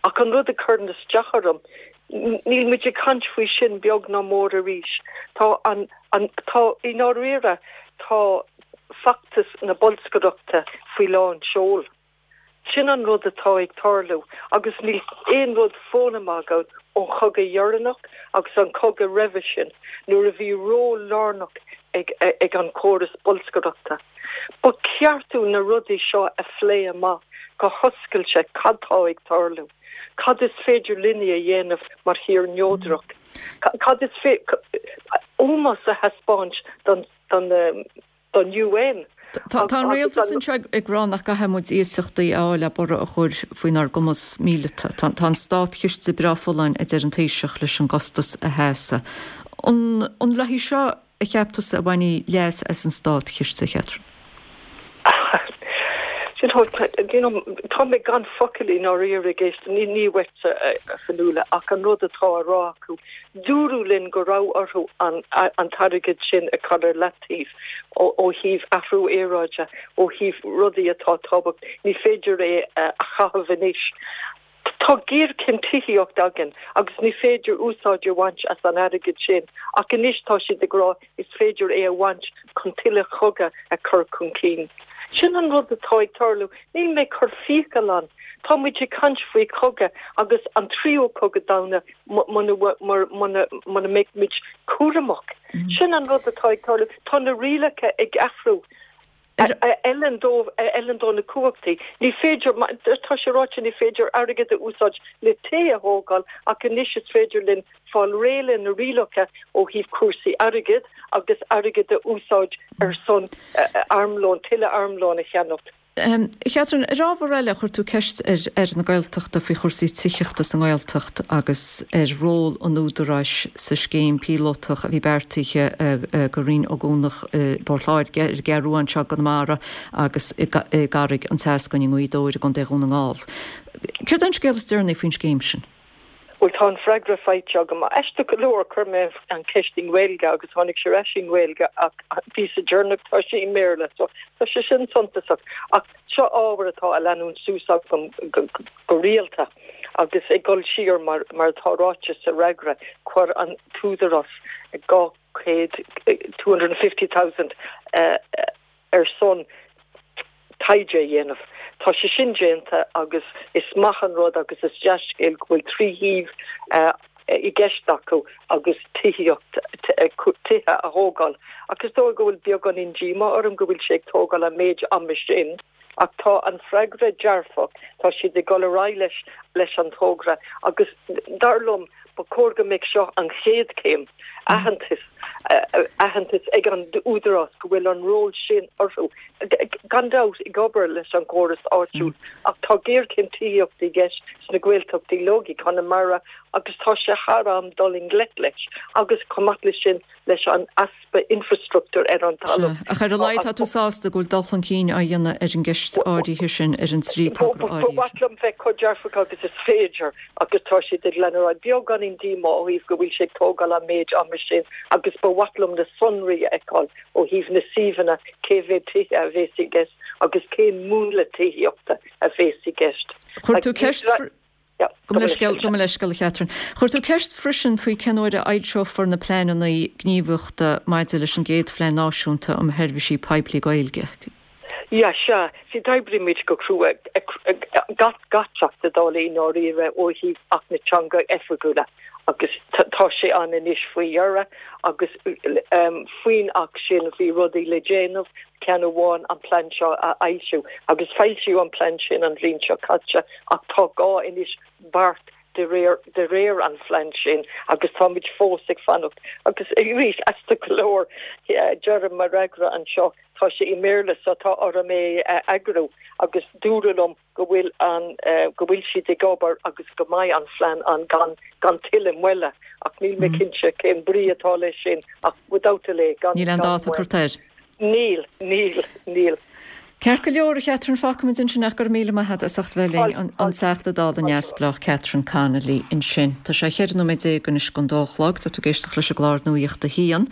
Ach an rud a chuireann isteach orm, níl muid ag caint faoi sin beag ná mór arís. Tá an, an, tá, i ndáiríre, tá feachtas na bolscaireachta faoi lán seoil. Sin an rud atá ag tarlú agus níl aon rud foghlamtha againn ón chogadh dheireanach agus an cogadh roimhe sin nuair a bhí ról lárnach ag an chóras bolscaireachta. Ba cheart dúinn na rudaí seo a phlé amach go hoscailte, cad tá ag tarlú? Cad is féidir linne a dhéanamh mar thír neodrach? Cad is féidir ómós a thaispeáint don don UN. Tá an rialtas anseo ag rá nach gcaithfidh muid iasachtaí a fháil le borradh a chur faoinár gcumas míleata. Tá an státchiste breá folláin, a deir an Taoiseach, leis an gcostas a sheasamh. An léi seo a cheap tusa a bhainfí leas as an státchiste, a Chatherine? Tá mé gan focal i ndáiríre ag éisteacht, ní uaitse a Fionnuala, ach an rud atá á rá acu. Dúradh linn go raibh orthu an t-airgead sin a chur ar leataobh ó thaobh athrú aeráide, ó thaobh rudaí atá tábhachtach. Ní féidir é a chaitheamh anois. Tá géarchéim tithíochta againn agus ní féidir úsáid a bhaint as an airgead sin ach anois tá siad ag rá is féidir é a bhaint chun tuilleadh cogadh a chur chun cinn. Sin an rud atá ag tarlú. Níl mé ag cur fiacail ann. Tá muid ag caint faoi chogadh agus an tríú cogadh domhanda muna mbeidh muid cúramach. Sin an rud atá ag tarlú. Tá na rialacha ag athrú a fheileann dóibh, a fheileann dó na cumhachtaí. Ní féidir, tá sé ráite, ní féidir airgead a úsáid le tithe a thógáil ach anois is féidir linn fáil réidh le na rialacha ó thaobh cúrsaí airgid agus airgead a úsáid ar son armlón, tuilleadh armlóin a cheannacht. A Chatherine, ar ábhar eile, chuir tú ceist ar Aire na Gaeltachta faoi chúrsaí tithíochta sa nGaeltacht agus ar ról an Údaráis sa scéim píolótach a bhí beartaithe do Rinn Ó gCuanach i bPort Láirge, ar an gCeathrú Rua anseo i gConamara agus i gCarraig an tSeascainn i nGaoth Dobhair i gContae Dhún na nGall. Céard é an scéal is deireanaí faoin scéim sin? Bhuel, tá an freagra faighte agam. Aisteach go leor, chuir mé an cheist i nGaeilge agus tháinig sé ar ais i nGaeilge ach an píosa deireanach tá sé i mBéarla so tá sé sin suntasach. Ach seo ábhar atá á leanúint suas agam go rialta agus ag dul siar mar mar atá ráite sa fhreagra, chuir an tÚdarás 200, 250,000, ar son taighde a dhéanamh. Tá sé sin déanta agus is maith an rud agus is dea-scéal go bhfuil 3 shuíomh i gceist acu agus tithíocht, tithe a thógáil. Ach is dóigh go bhfuil beagáinín díomá orm go bhfuil sé ag tógáil an méid ama sin. Ach tá an freagra dearfach, tá siad ag dul ar aghaidh leis leis an togra agus dar liom ba chóir go mbeadh seo an chéad chéim, aitheantas, aitheantas ag an Údarás go bhfuil an ról sin orthu, gan dabht ag obair leis an gcóras áitiúil ach tá géarchéim tithíochta i gceist sna Gaeltachtaí uilig, i gConamara agus tá sé thar am dul i ngleic leis agus chomh maith leis sin leis an easpa infreastruchtúir ar an talamh. Sea, ach ar a laghad tá tú sásta go bhfuil dul chun cinn á dhéanamh ar an gceist áirithe sin, ar an dtrí togra áirithe sin. Ba mhaith liom bheith chomh dearfach agus is féidir agus tá siad ag lean ar aghaidh. Beagáinín díomá ó thaobh go bhfuil sé ag tógáil an méid ama sin agus ba mhaith liom na sonraí a fheiceáil ó thaobh na suíomhanna, cé mhéad tithe a bhéas i gceist agus cén múnla tithíochta a bhéas i gceist. Chuir tú ceist. Gabh mo leithscéal, gabh mo leithscéal, a Chatherine. Chuir tú ceist freisin faoi cén uair a fhoilseofar na pleananna gníomhaíochta maidir leis an gcéad Phlean Náisiúnta um Sheirbhísí Poiblí Gaeilge. Yeah, sea. See, d'oibrigh muid go crua, gach Teachta Dála i ndáiríre ó thaobh Acht na Teanga Oifigiúla agus tá sé ann anois faoi dheireadh agus faoin Acht sin bhí rudaí le déanamh, ceann amháin an plean seo a fhoilsiú agus foilsíodh an plean sin an bhliain seo caite ach tá gá anois beart de réir de réir an phlean sin agus táimid fós ag fanacht agus arís aisteach go leor deirim mo fhreagra anseo tá sé i mBéarla so tá orm é a eagrú agus dúradh liom go bhfuil an, go bhfuil siad ag obair agus go mbeidh an phlean ann gan, gan tuilleadh moille ach níl mé cinnte cén brí atá leis sin ach without delay, gan, Níl aon dáta curtha air. Níl, níl, níl. Ceart go leor, a Chatherine, fágfaimid ansin ach go raibh míle maith agat as ucht bheith linn, an Teachta Dála neamhspleách Catherine Connolly ansin. Tá sé 14 nóiméad anois don dó a chlog, tá tú ag éisteacht leis an gclár Nuacht a hAon.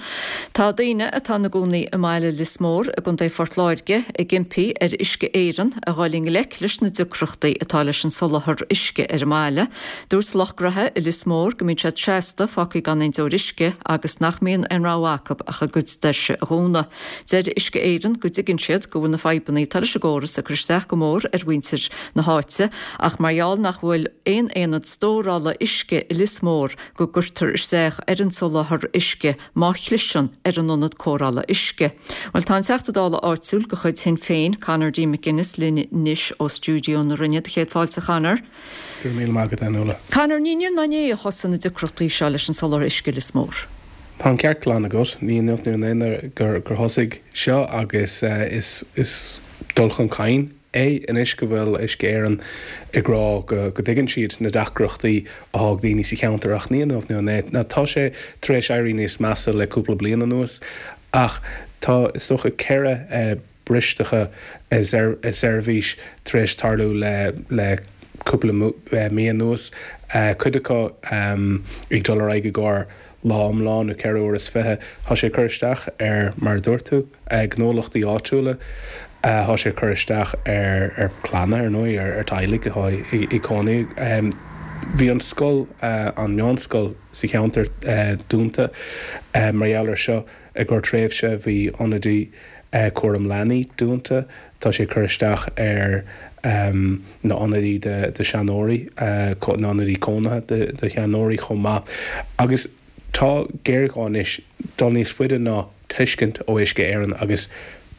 Tá daoine atá ina gcónaí i mbaile Lios Mór i gContae Phort Láirge ag impí ar Uisce Éireann a dhul i ngleic leis na deacrachtaí atá leis an soláthar uisce ar an mbaile. Dúirt lucht gnoithe i Lios Mór go mbíonn siad seasta fágtha gan aon deoir uisce agus nach mbíonn aon rogha acu ach a gcuid doirse a dhúnadh. Deir Uisce Éireann go dtuigeann siad go bhfuil na fadhbanna atá leis an gcóras ag cur isteach go mór ar mhuintir na háite ach mar gheall nach bhfuil aon aonad stórála uisce i Lios Mór go gcuirtear isteach ar an soláthar uisce má chliseann ar an ionad cóireála uisce. Bhuel tá an Teachta Dála áitiúil de chuid Shinn Féin, Conor D. McGuinness linn anois ó stiúideo na Rinne. Do chéad fáilte a Chonor. Go raibh míle maith agat, a Fhionnuala. Conor, ní inniu ná inné a thosaigh na deacrachtaí seo leis an soláthar uisce i Lios Mór. Tá an ceart glan agat, ní inniu nó inné gur thosaigh seo agus is dul chun cinn é anois go bhfuil Uisce Éireann ag rá go dtuigeann siad na deacrachtaí atá ag daoine sa cheantar ach ní inniu nó inné. Tá sé tar éis éirí níos measa le cúpla bliain anuas ach tá is dócha 4 bristeacha i seirbhís tar éis tarlú le cúpla mí anuas, cuid acu ag dul ar aghaidh i gcomhair lá iomlán nó 24 uair. Tá sé ag cur isteach ar, mar a dúirt tú, gnólachtaí áitiúla, tá sé ag cur isteach ar chlanna, ar ndóigh, ar teaghlaigh atá ag cónaí. Bhí an scoil, an meánscoil sa cheantar dúnta mar gheall air seo. I gcomhair tréimhse bhí ionadaí cúram leanaí dúnta. Tá sé ag cur isteach ar na ionadaí do sheanóirí, na ionadaí cónaithe do sheanóirí chomh maith. Agus tá géarghá anois dul níos faide ná tuiscint ó Uisce Éireann agus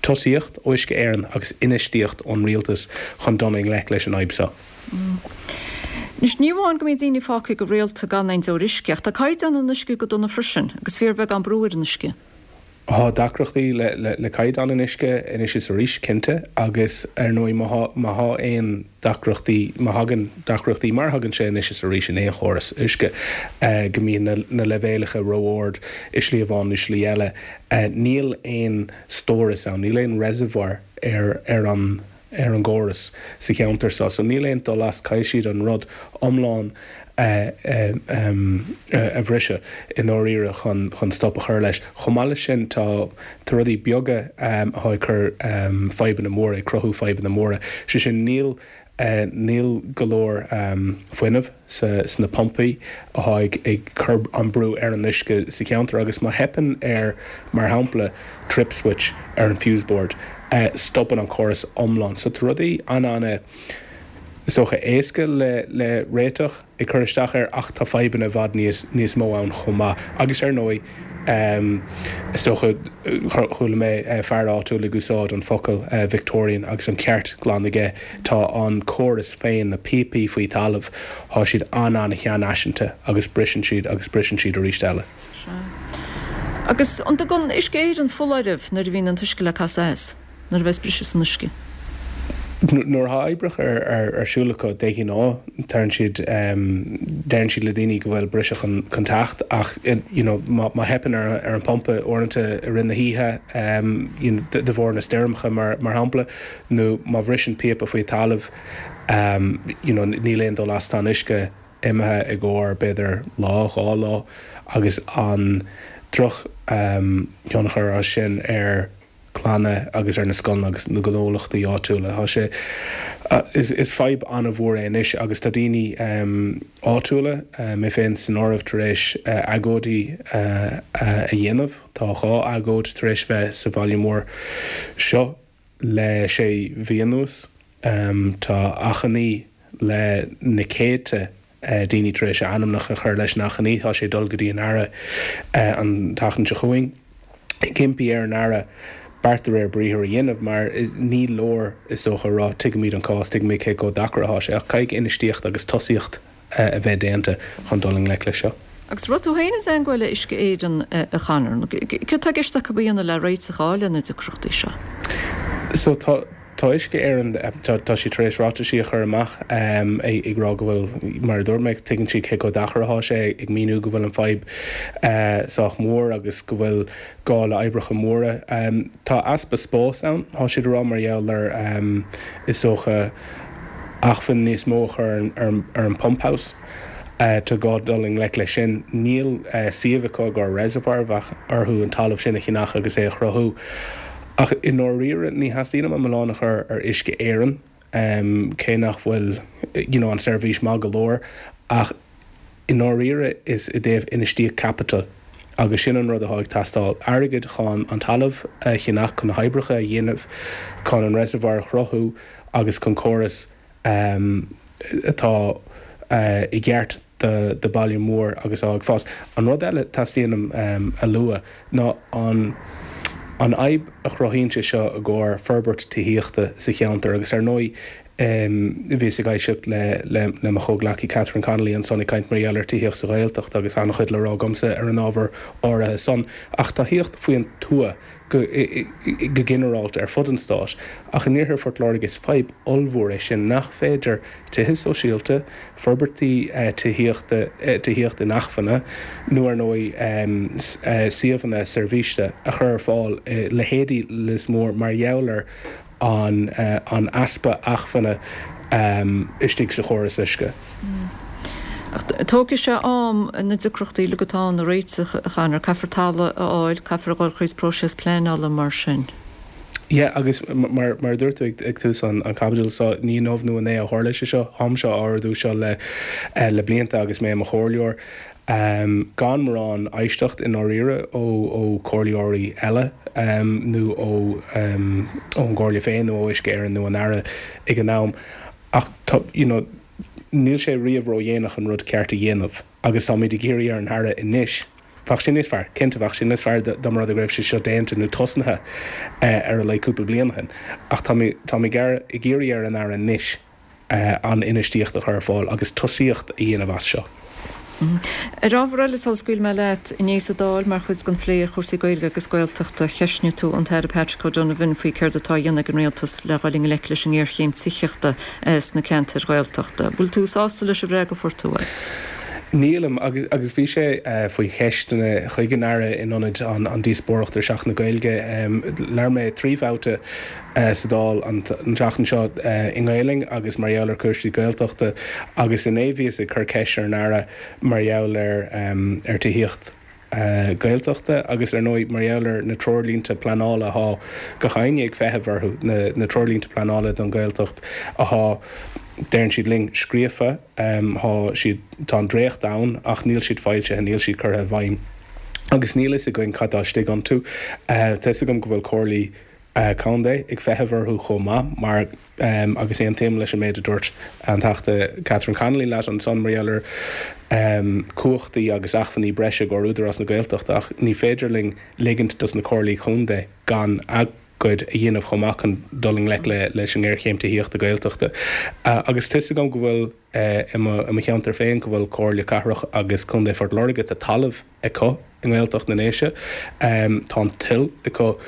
tosaíocht ó Uisce Éireann agus infheistíocht ón rialtas chun dul i ngleic leis an fhadhb seo. Anois, ní amháin go mbíonn daoine fágtha go rialta gan aon deoir uisce, ach tá caighdeán an uisce go dona freisin, agus fíorbheagán brú ar an uisce. Tá deacrachtaí le caighdeán an uisce anois is arís, cinnte, agus ar ndóigh má tá aon deacrachtaí, má thagann deacrachtaí, mar a thagann sé anois is arís in aon chóras uisce, go mbíonn na leibhéalacha ró-ard i slí amháin nó slí eile, níl aon stóras ann, níl aon reservoir ar an. ar an gcóras sa cheantar seo so níl aon dul as, caithfidh siad an rud iomlán a bhriseadh i ndáiríre chun chun stop a chur leis. Chomh maith leis sin tá tá rudaí beaga atá ag cur fadhbanna móra, ag cruthú fadhbanna móra, sé sin níl níl go leor fuinnimh sa sna pumpaí atá ag ag cur an brú ar an uisce sa cheantar agus má theipeann ar mar shampla trip switch ar an fuse board stopann an córas iomlán. So tá rudaí an-an is dócha éasca le le réiteach ag cur isteach air ach tá fadhbanna i bhfad níos níos mó ann chomh maith. Agus ar ndóigh is dócha chuala mé fear áitiúil ag úsáid an focal Victorian agus an ceart glan aige, tá an córas féin, na píopaí faoi thalamh, tá siad an-an-sheanfhaiseanta agus briseann siad agus briseann siad arís eile. Sea. Agus an dtugann Uisce Éireann foláireamh nuair a bhíonn an t-uisce le casadh as? Nuair a bheas briseadh san uisce? Nuair atá oibreacha ar siúl acu, de ghnáth, deireann siad, deireann siad le daoine go bhfuil briseadh chun teacht ach you know má theipeann ar an phumpa uaireanta i rith na hoíche you know de bharr na stoirmeacha mar shampla nó má bhriseann píopa faoi talamh you know níl aon dul as, tá an uisce imithe i gcomhair b'fhéidir lá, 2 lá agus an droch thionchar as sin ar clanna agus ar na scoileanna agus na gnólachtaí áitiúla. Tá sé, is fadhb an-mhór é anois agus tá daoine áitiúla, mé féin san áireamh, tar éis agóidí a dhéanamh. Tá 2 agóid tar éis bheith sa bhaile mór seo le sé mhí anuas. Tá achainí le na céadta daoine tar éis a ainmneacha a chur leis an achainí. Tá sé ag dul go dtí an Aire an tseachtain seo chugainn ag impí ar an Aire beart de réir briathair a dhéanamh mar ní leor is dócha a rá tuigimid an cás, tuigimid cé chomh deacair atá sé ach caithfidh infheistíocht agus tosaíocht a bheith déanta chun dul i ngleic leis seo. Agus raibh tú féin i dteangmháil le Uisce Éireann, a Chonor? Céard tá i gceist acu a dhéanamh le réiteach a fháil ar na deacrachtaí seo? So tá. Tá Uisce Éireann, tá siad tar éis ráitisí a chur amach ag rá go bhfuil, mar a dúirt mé, tuigeann siad cé chomh deacair atá sé, ag míniú go bhfuil an fadhb sách mór agus go bhfuil gá le oibreacha móra. Tá easpa spáis ann, tá siad a rá, mar gheall ar, is dócha, acmhainn níos mó a chur ar an pump house. Tá gá dul i ngleic leis sin. Níl suíomh acu i gcomhair reservoir, bheadh orthu an talamh sin a cheannach agus é a chruthú. Ach i ndáiríre, ní theastaíonn uaim an milleán a chur ar Uisce Éireann, cé nach bhfuil you know an seirbhís maith go leor, ach i ndáiríre is i dtaobh infheistíocht caipitil agus sin an rud atá ag teastáil, airgead chun an talamh a cheannach, chun na hoibreacha a dhéanamh, chun an reservoir a chruthú agus chun córas atá i gceart do baile mór agus atá ag fás. An rud eile teastaíonn uaim a lua ná an an fhadhb a chruthaíonn sé seo i gcomhair forbairt tithíochta sa cheantar agus ar ndóigh bhíos ag éisteacht le le mo chomhghleacaí Catherine Connolly ansan ag caint mar gheall ar tithíocht sa Ghaeltacht agus an-chuid le rá agamsa ar an ábhar áirithe san ach tá tithíocht faoin tuath go go ginearálta ar fud an stáit ach in iarthar Phort Láirge is fadhb ollmhór é sin nach féidir tithe sóisialta, forbairtí tithíochta, tithíocht inacmhainne nó ar ndóigh suíomhanna seirbhíse a chur ar fáil i leithéidí Lios Mór mar gheall ar an an easpa acmhainne istigh sa chóras uisce. Ach tógfaidh sé am na deacrachtaí uilig atá ann a réiteach, a Chonor. Caithfear talamh a fháil, caithfear a dhul thríd próiseas pleanála mar sin. Yeah, agus mar mar a dúirt tú ag tús an chaibidil seo, ní inniu nó inné a tharla sé seo, táimse á ardú seo le le blianta agus mé i mo chomhairleoir. Gan mórán éisteacht i ndáiríre ó ó chomhairleoirí eile nó ó ón gComhairle féin nó ó Uisce Éireann nó an Aire ag an am. Ach tá, you know, níl sé riamh ródhéanach an rud ceart a dhéanamh agus táimid ag iarraidh ar an Aire anois, bheadh sé níos fearr, cinnte bheadh sé níos fearr dá mba rud é go raibh sé seo déanta nó tosnaithe ar a laghad cúpla bliain ó shin ach táimid ag iarraidh ar an Aire anois an infheistíocht a chur ar fáil agus tosaíocht a dhéanamh as seo. Ar ábhar eile, sula scaoilfidh mé leat, inné sa Dáil, mar chuid den phlé ar chúrsaí Gaeilge agus Gaeltachta, cheistnigh tú an tAire Patrick O'Donovan faoi céard atá á dhéanamh ag an Rialtas le dhul i ngleic leis an ngéarchéim tithíochta sna ceantair Ghaeltachta. Bhfuil tú sásta leis an bhfreagra a fuair tú uaidh? Nílim, agus bhí sé faoi cheisteanna chuig an Aire in ionad an díospóireacht ar Sheachtain na Gaeilge. Labhair mé 3 bhabhta sa Dáil an tseachtain seo i nGaelainn agus mar gheall ar chúrsaí Gaeltachta agus inné bhíos ag cur ceist ar an Aire mar gheall ar ar tithíocht Gaeltachta agus ar ndóigh mar gheall ar na treoirlínte pleanála athá gach éinne ag feitheamh orthu, na na treoirlínte pleanála don Ghaeltacht athá, deireann siad linn, scríofa, thá siad, tá an dréacht ann ach níl siad foilsithe, níl siad curtha i bhfeidhm agus níl fhios againn cad tá istigh iontu. Tá fhios agam go bhfuil comhairlí Contae ag feitheamh orthu chomh maith mar, agus aontaím leis an méid a dúirt an Teachta Catherine Connolly leat ansan mar gheall ar cumhachtaí agus acmhainní breise i gcomhair Údarás na Gaeltachta ach ní féidir linn ligint dos na Comhairlí Contae gan a gcuid a dhéanamh chomh maith chun dul i ngleic leis an ngéarchéim tithíochta Gaeltachta. Agus tá 'fhios agam go bhfuil i mo cheantar féin go bhfuil Comhairle Cathrach agus Contae Phort Láirge, tá talamh acu i nGaeltacht na nDéise. Tá an toil acu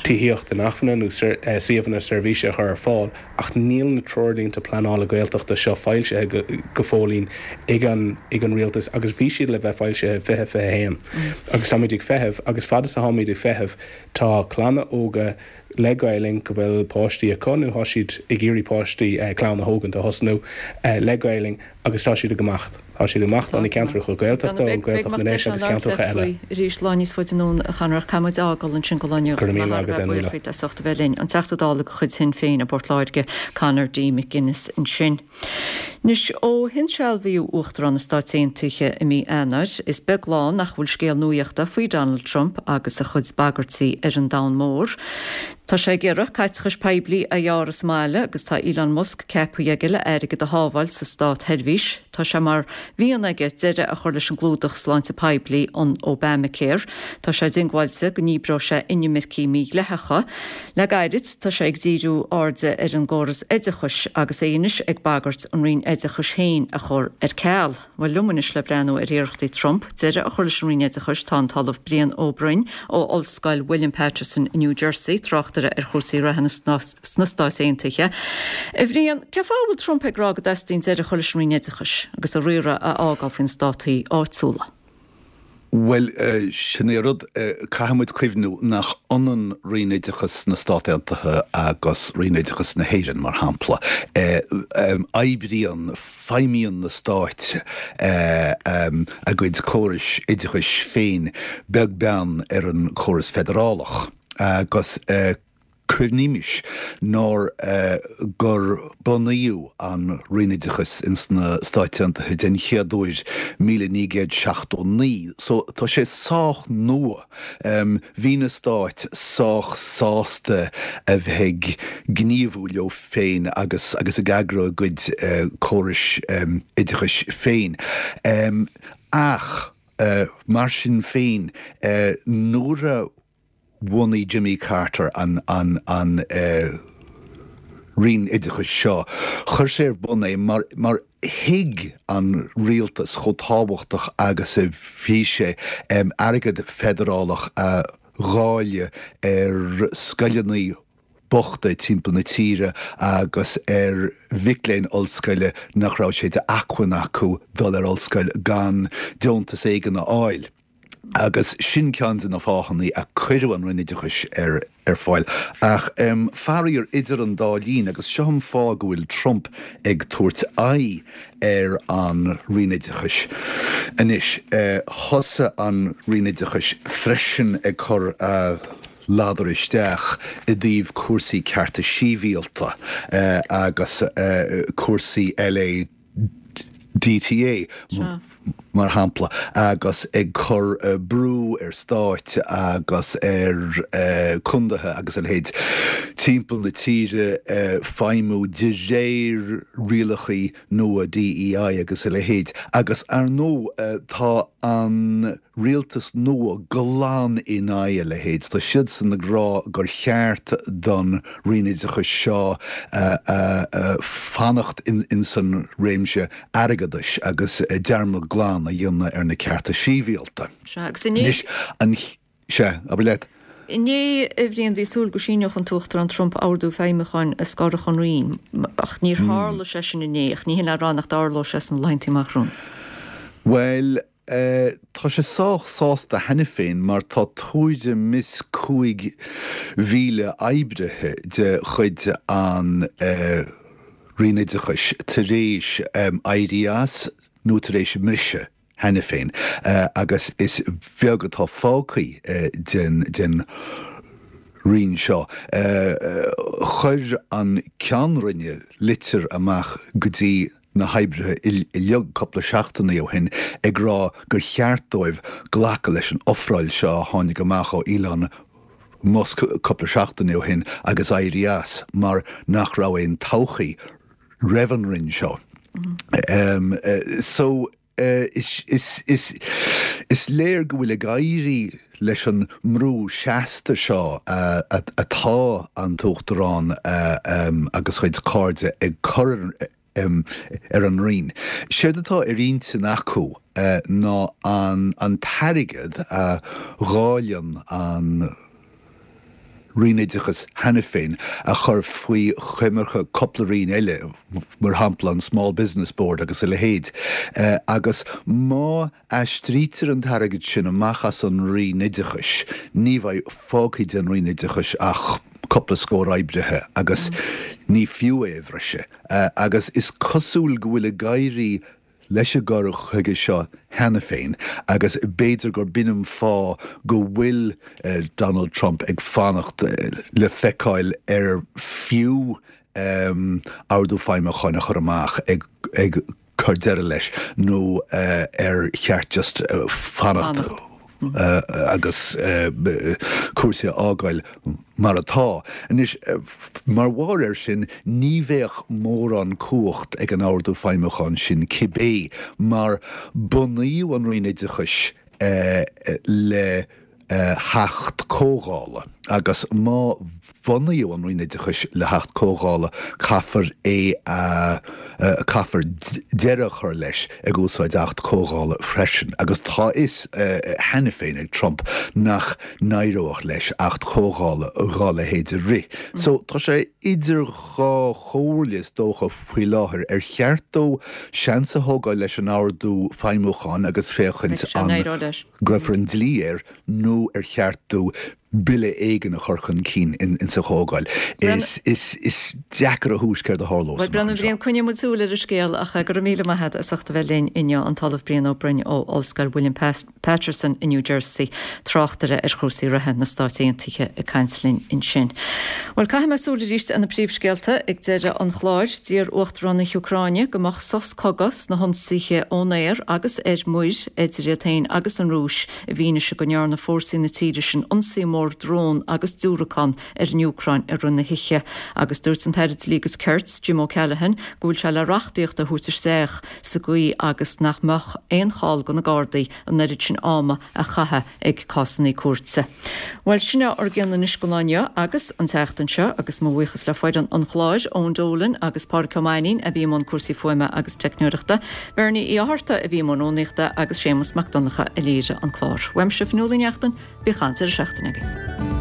tithíocht inacmhainne nó suíomhanna seirbhíse a chur ar fáil ach níl na treoirlínte pleanála Gaeltachta seo foilsithe go fóillín ag an ag an rialtas agus bhí siad le bheith foilsithe i 2021 agus táimid ag feitheamh agus fad is atáimid ag feitheamh tá clanna óga le Gaelainn go bhfuil páistí acu nó tá siad ag iarraidh páistí, clann a thógaint, a thosnú le Gaelainn agus tá siad ag imeacht. Tá siad ag imeacht ó na ceantracha Gaeltachta, ó Ghaeltacht na nDéise agus ceantracha eile. Arís, lá níos faide anonn, a Chonor, ach caithfidh muid a fhágáil ansin go Lá Nuachta. Go raibh míle maith agat, a Nuala. Buíoch as ucht a bheith linn. An Teachta Dála de chuid Shinn Féin i bPort Láirge, Conor D. McGuinness ansin. Anois, ó hinsealbhaíodh Uachtarán na Stáit Aontaithe i mí Eanáir, is beag lá nach bhfuil scéal nuachta faoi Donald Trump agus a chuid bagairtí ar an domhan mór. Tá sé ag iarraidh caiteachais poiblí a ghearradh sa mbaile agus tá Elon Musk ceaptha aige le airgead a shábháil sa státsheirbhís. Tá sé mar. mhian aige deireadh a chur leis an gclúdach sláinte poiblí, an Obamacare. Tá sé diongbháilte go ndíbreoidh sé inimircigh mhídhleathacha. Le gairid, tá sé ag díriú airde ar an gcóras oideachais agus é anois ag bagairt an Roinn Oideachais féin a chur ar ceal. Bhuel, liom anois le breathnú ar iarrachtaí Trump deireadh a chur leis an Roinn Oideachais tá an tOllamh Brian Ó Broin ó Ollscoil William Paterson i New Jersey, tráchtaire ar chúrsaí reatha sna Stáit Aontaithe. A Bhriain, cén fáth a bhfuil Trump ag rá go dteastaíonn deireadh a chur leis an Roinn Oideachais agus a riaradh a fhágáil faoi na státaí áitiúla? Bhuel, sin é an rud, caithfidh muid cuimhniú nach ionann Roinn Oideachais na Stát Aontaithe agus Roinn Oideachais na hÉireann, mar shampla. Oibríonn, feidhmíonn na stáit a gcuid córais oideachais féin beag beann ar an chóras feidearálach agus, Cuimhnímis nár gur bunaíodh an Roinn Oideachais ins na Stáit Aontaithe den chéad uair 1979, so tá sé sách nua. Bhí na stáit sách sásta a bheith ag gníomhú leo féin agus agus ag eagrú a gcuid córais oideachais féin. Ach mar sin féin, nuair a bhunaigh Jimmy Carter an Roinn Oideachais seo. Chuir sé ar bun é mar mar thuig an rialtas chomh tábhachtach agus a bhí sé airgead feidearálach a dháileadh ar scoileanna bochta timpeall na tíre agus ar mhic léinn ollscoile nach raibh sé d'acmhainn acu dul ar ollscoil gan deontas éigin a fháil. Agus sin ceann de na fáthanna a cuireadh an Roinn Oideachais ar ar fáil. Ach faraor, idir an dá linn, agus seo an fáth go bhfuil Trump ag tabhairt aghaidh ar an Roinn Oideachais anois, thosaigh an Roinn Oideachais freisin ag cur a ladar isteach i dtaobh cúrsaí cearta sibhialta agus cúrsaí LA. DTA, mar shampla, agus ag cur brú ar stáit agus ar condaetha agus a leithéid timpeall na tíre feidhmiú de réir rialacha nua DEI agus a leithéid. Agus ar ndóigh tá an rialtas nua glan in aghaidh a leithéid. Tá siadsan ag rá gur cheart don Roinn Oideachais seo fanacht insan réimse airgeadais agus dearmad glan a dhéanamh ar na cearta sibhialta. Anois, an. Sea, abair leat. Inné, a Bhriain, bhí súil go síneodh an tUachtarán Trump ordú feidhmiúcháin a scorfadh an Roinn, ach níor tharla sé sin inné, ach ní hin le rá nach dtarlóidh sé sna laethanta amach romhainn. Bhuel, Tá sé sách sásta cheana féin mar tá tuairim is 5,000 oibrithe de chuid an Roinn Oideachais tar éis éirí as nó tar éis a mbriseadh cheana féin agus is beag atá fágtha den Roinn seo. Chuir an Ceann Roinne litir amach go dtí na hoibrithe uilig cúpla seachtainí ó shin ag rá gur cheart dóibh glacadh leis an ofráil seo a tháinig amach ó Elon Musk cúpla seachtain ó shin agus éirí as mar nach raibh aon todhchaí roimh an roinn seo. So. Is léir go bhfuil ag éirí leis an mbrú seasta seo atá an tUachtarán agus a chuid cairde ag cur ar an Roinn. Séard atá ar intinn acu ná an t-airgead a dháileann an Roinn Oideachais cheana féin a chur faoi choimirce cúpla roinn eile, mar shampla an Small Business Board agus a leithéid, agus má aistrítear an t-airgead sin amach as an Roinn Oideachais, ní bheidh fágtha den Roinn Oideachais ach cúpla scór oibrithe agus ní fiú é a bhriseadh. Agus is cosúil go bhfuil ag éirí leis an gcur chuige seo cheana féin agus b'fhéidir gur b'in an fáth go bhfuil Donald Trump ag fanacht le feiceáil ar fiú ordú feidhmiúcháin a chur amach ag cur deireadh leis nó ar cheart just fanacht. agus cúrsaí a fhágáil mar atá. Anois, mar bharr air sin, ní bheadh mórán cumhacht ag an ordú feidhmiúcháin sin cibé, mar bunaíodh an Roinn Oideachais le hAcht Comhdhála agus má bunaíodh an Roinn Oideachais le hAcht Comhdhála caithfear é a caithfear deireadh a chur leis ag úsáid Acht Comhdhála freisin agus tá a fhios cheana féin ag Trump nach n-éireodh leis Acht Comhdhála dhá leithéid a rith. So tá sé idir dhá chomhairle is dócha faoi láthair. Ar cheart dó seans a thógáil leis an ordú feidhmiúcháin agus féachaint an gcuirfear an dlí air nó ar cheart dó bille éigin a chur chun cinn insa Chomhdháil. Is deacair a thomhas céard a tharlós amach anseo. Bhriain, coinneoidh muid súil ar an scéal ach go raibh míle maith agat as ucht a bheith linn inniu, an tOllamh Brian Ó Broin ó Ollscoil William Paterson i New Jersey, tráchtaire ar chúrsaí reatha na Stáit Aontaithe ag caint linn ansin. Bhuel, caithfidh mé súil arís ar na príomhscéalta ag deireadh an chláir. D'iarr Uachtarán na hÚcráine go mbeadh sos cogaidh sna hionsaithe ón aer agus ar muir idir iad féin agus an Rúis i bhfianaise go ndearna fórsaí na tíre sin ionsaí mór drón agus diúracán ar an Úcráin i rith na hoíche agus dúirt an tAire Dlí agus Cirt, Jim O'Callaghan, go bhfuil sé le reachtaíocht a thabhairt isteach sa gcaoi agus nach mbeadh aon chall do na Gardaí an oiread sin ama a chaitheamh ag cásanna cúirte. Bhuel, sin é ár gcion anois don lá inniu agus an tseachtain seo agus mo bhuíochas le foireann an chláir, Eoin Dolan agus Pádraic Ó Mainnín a bhí i mbun cúrsaí fuaime agus teicneoireachta, Bernie Uí Fhátharta a bhí i mbun rúnaíochta agus Séamus Mac Donncha a léirigh an clár. Uaimse, Fionnuala Ní Neachtain, bíodh an-deireadh seachtaine agaibh.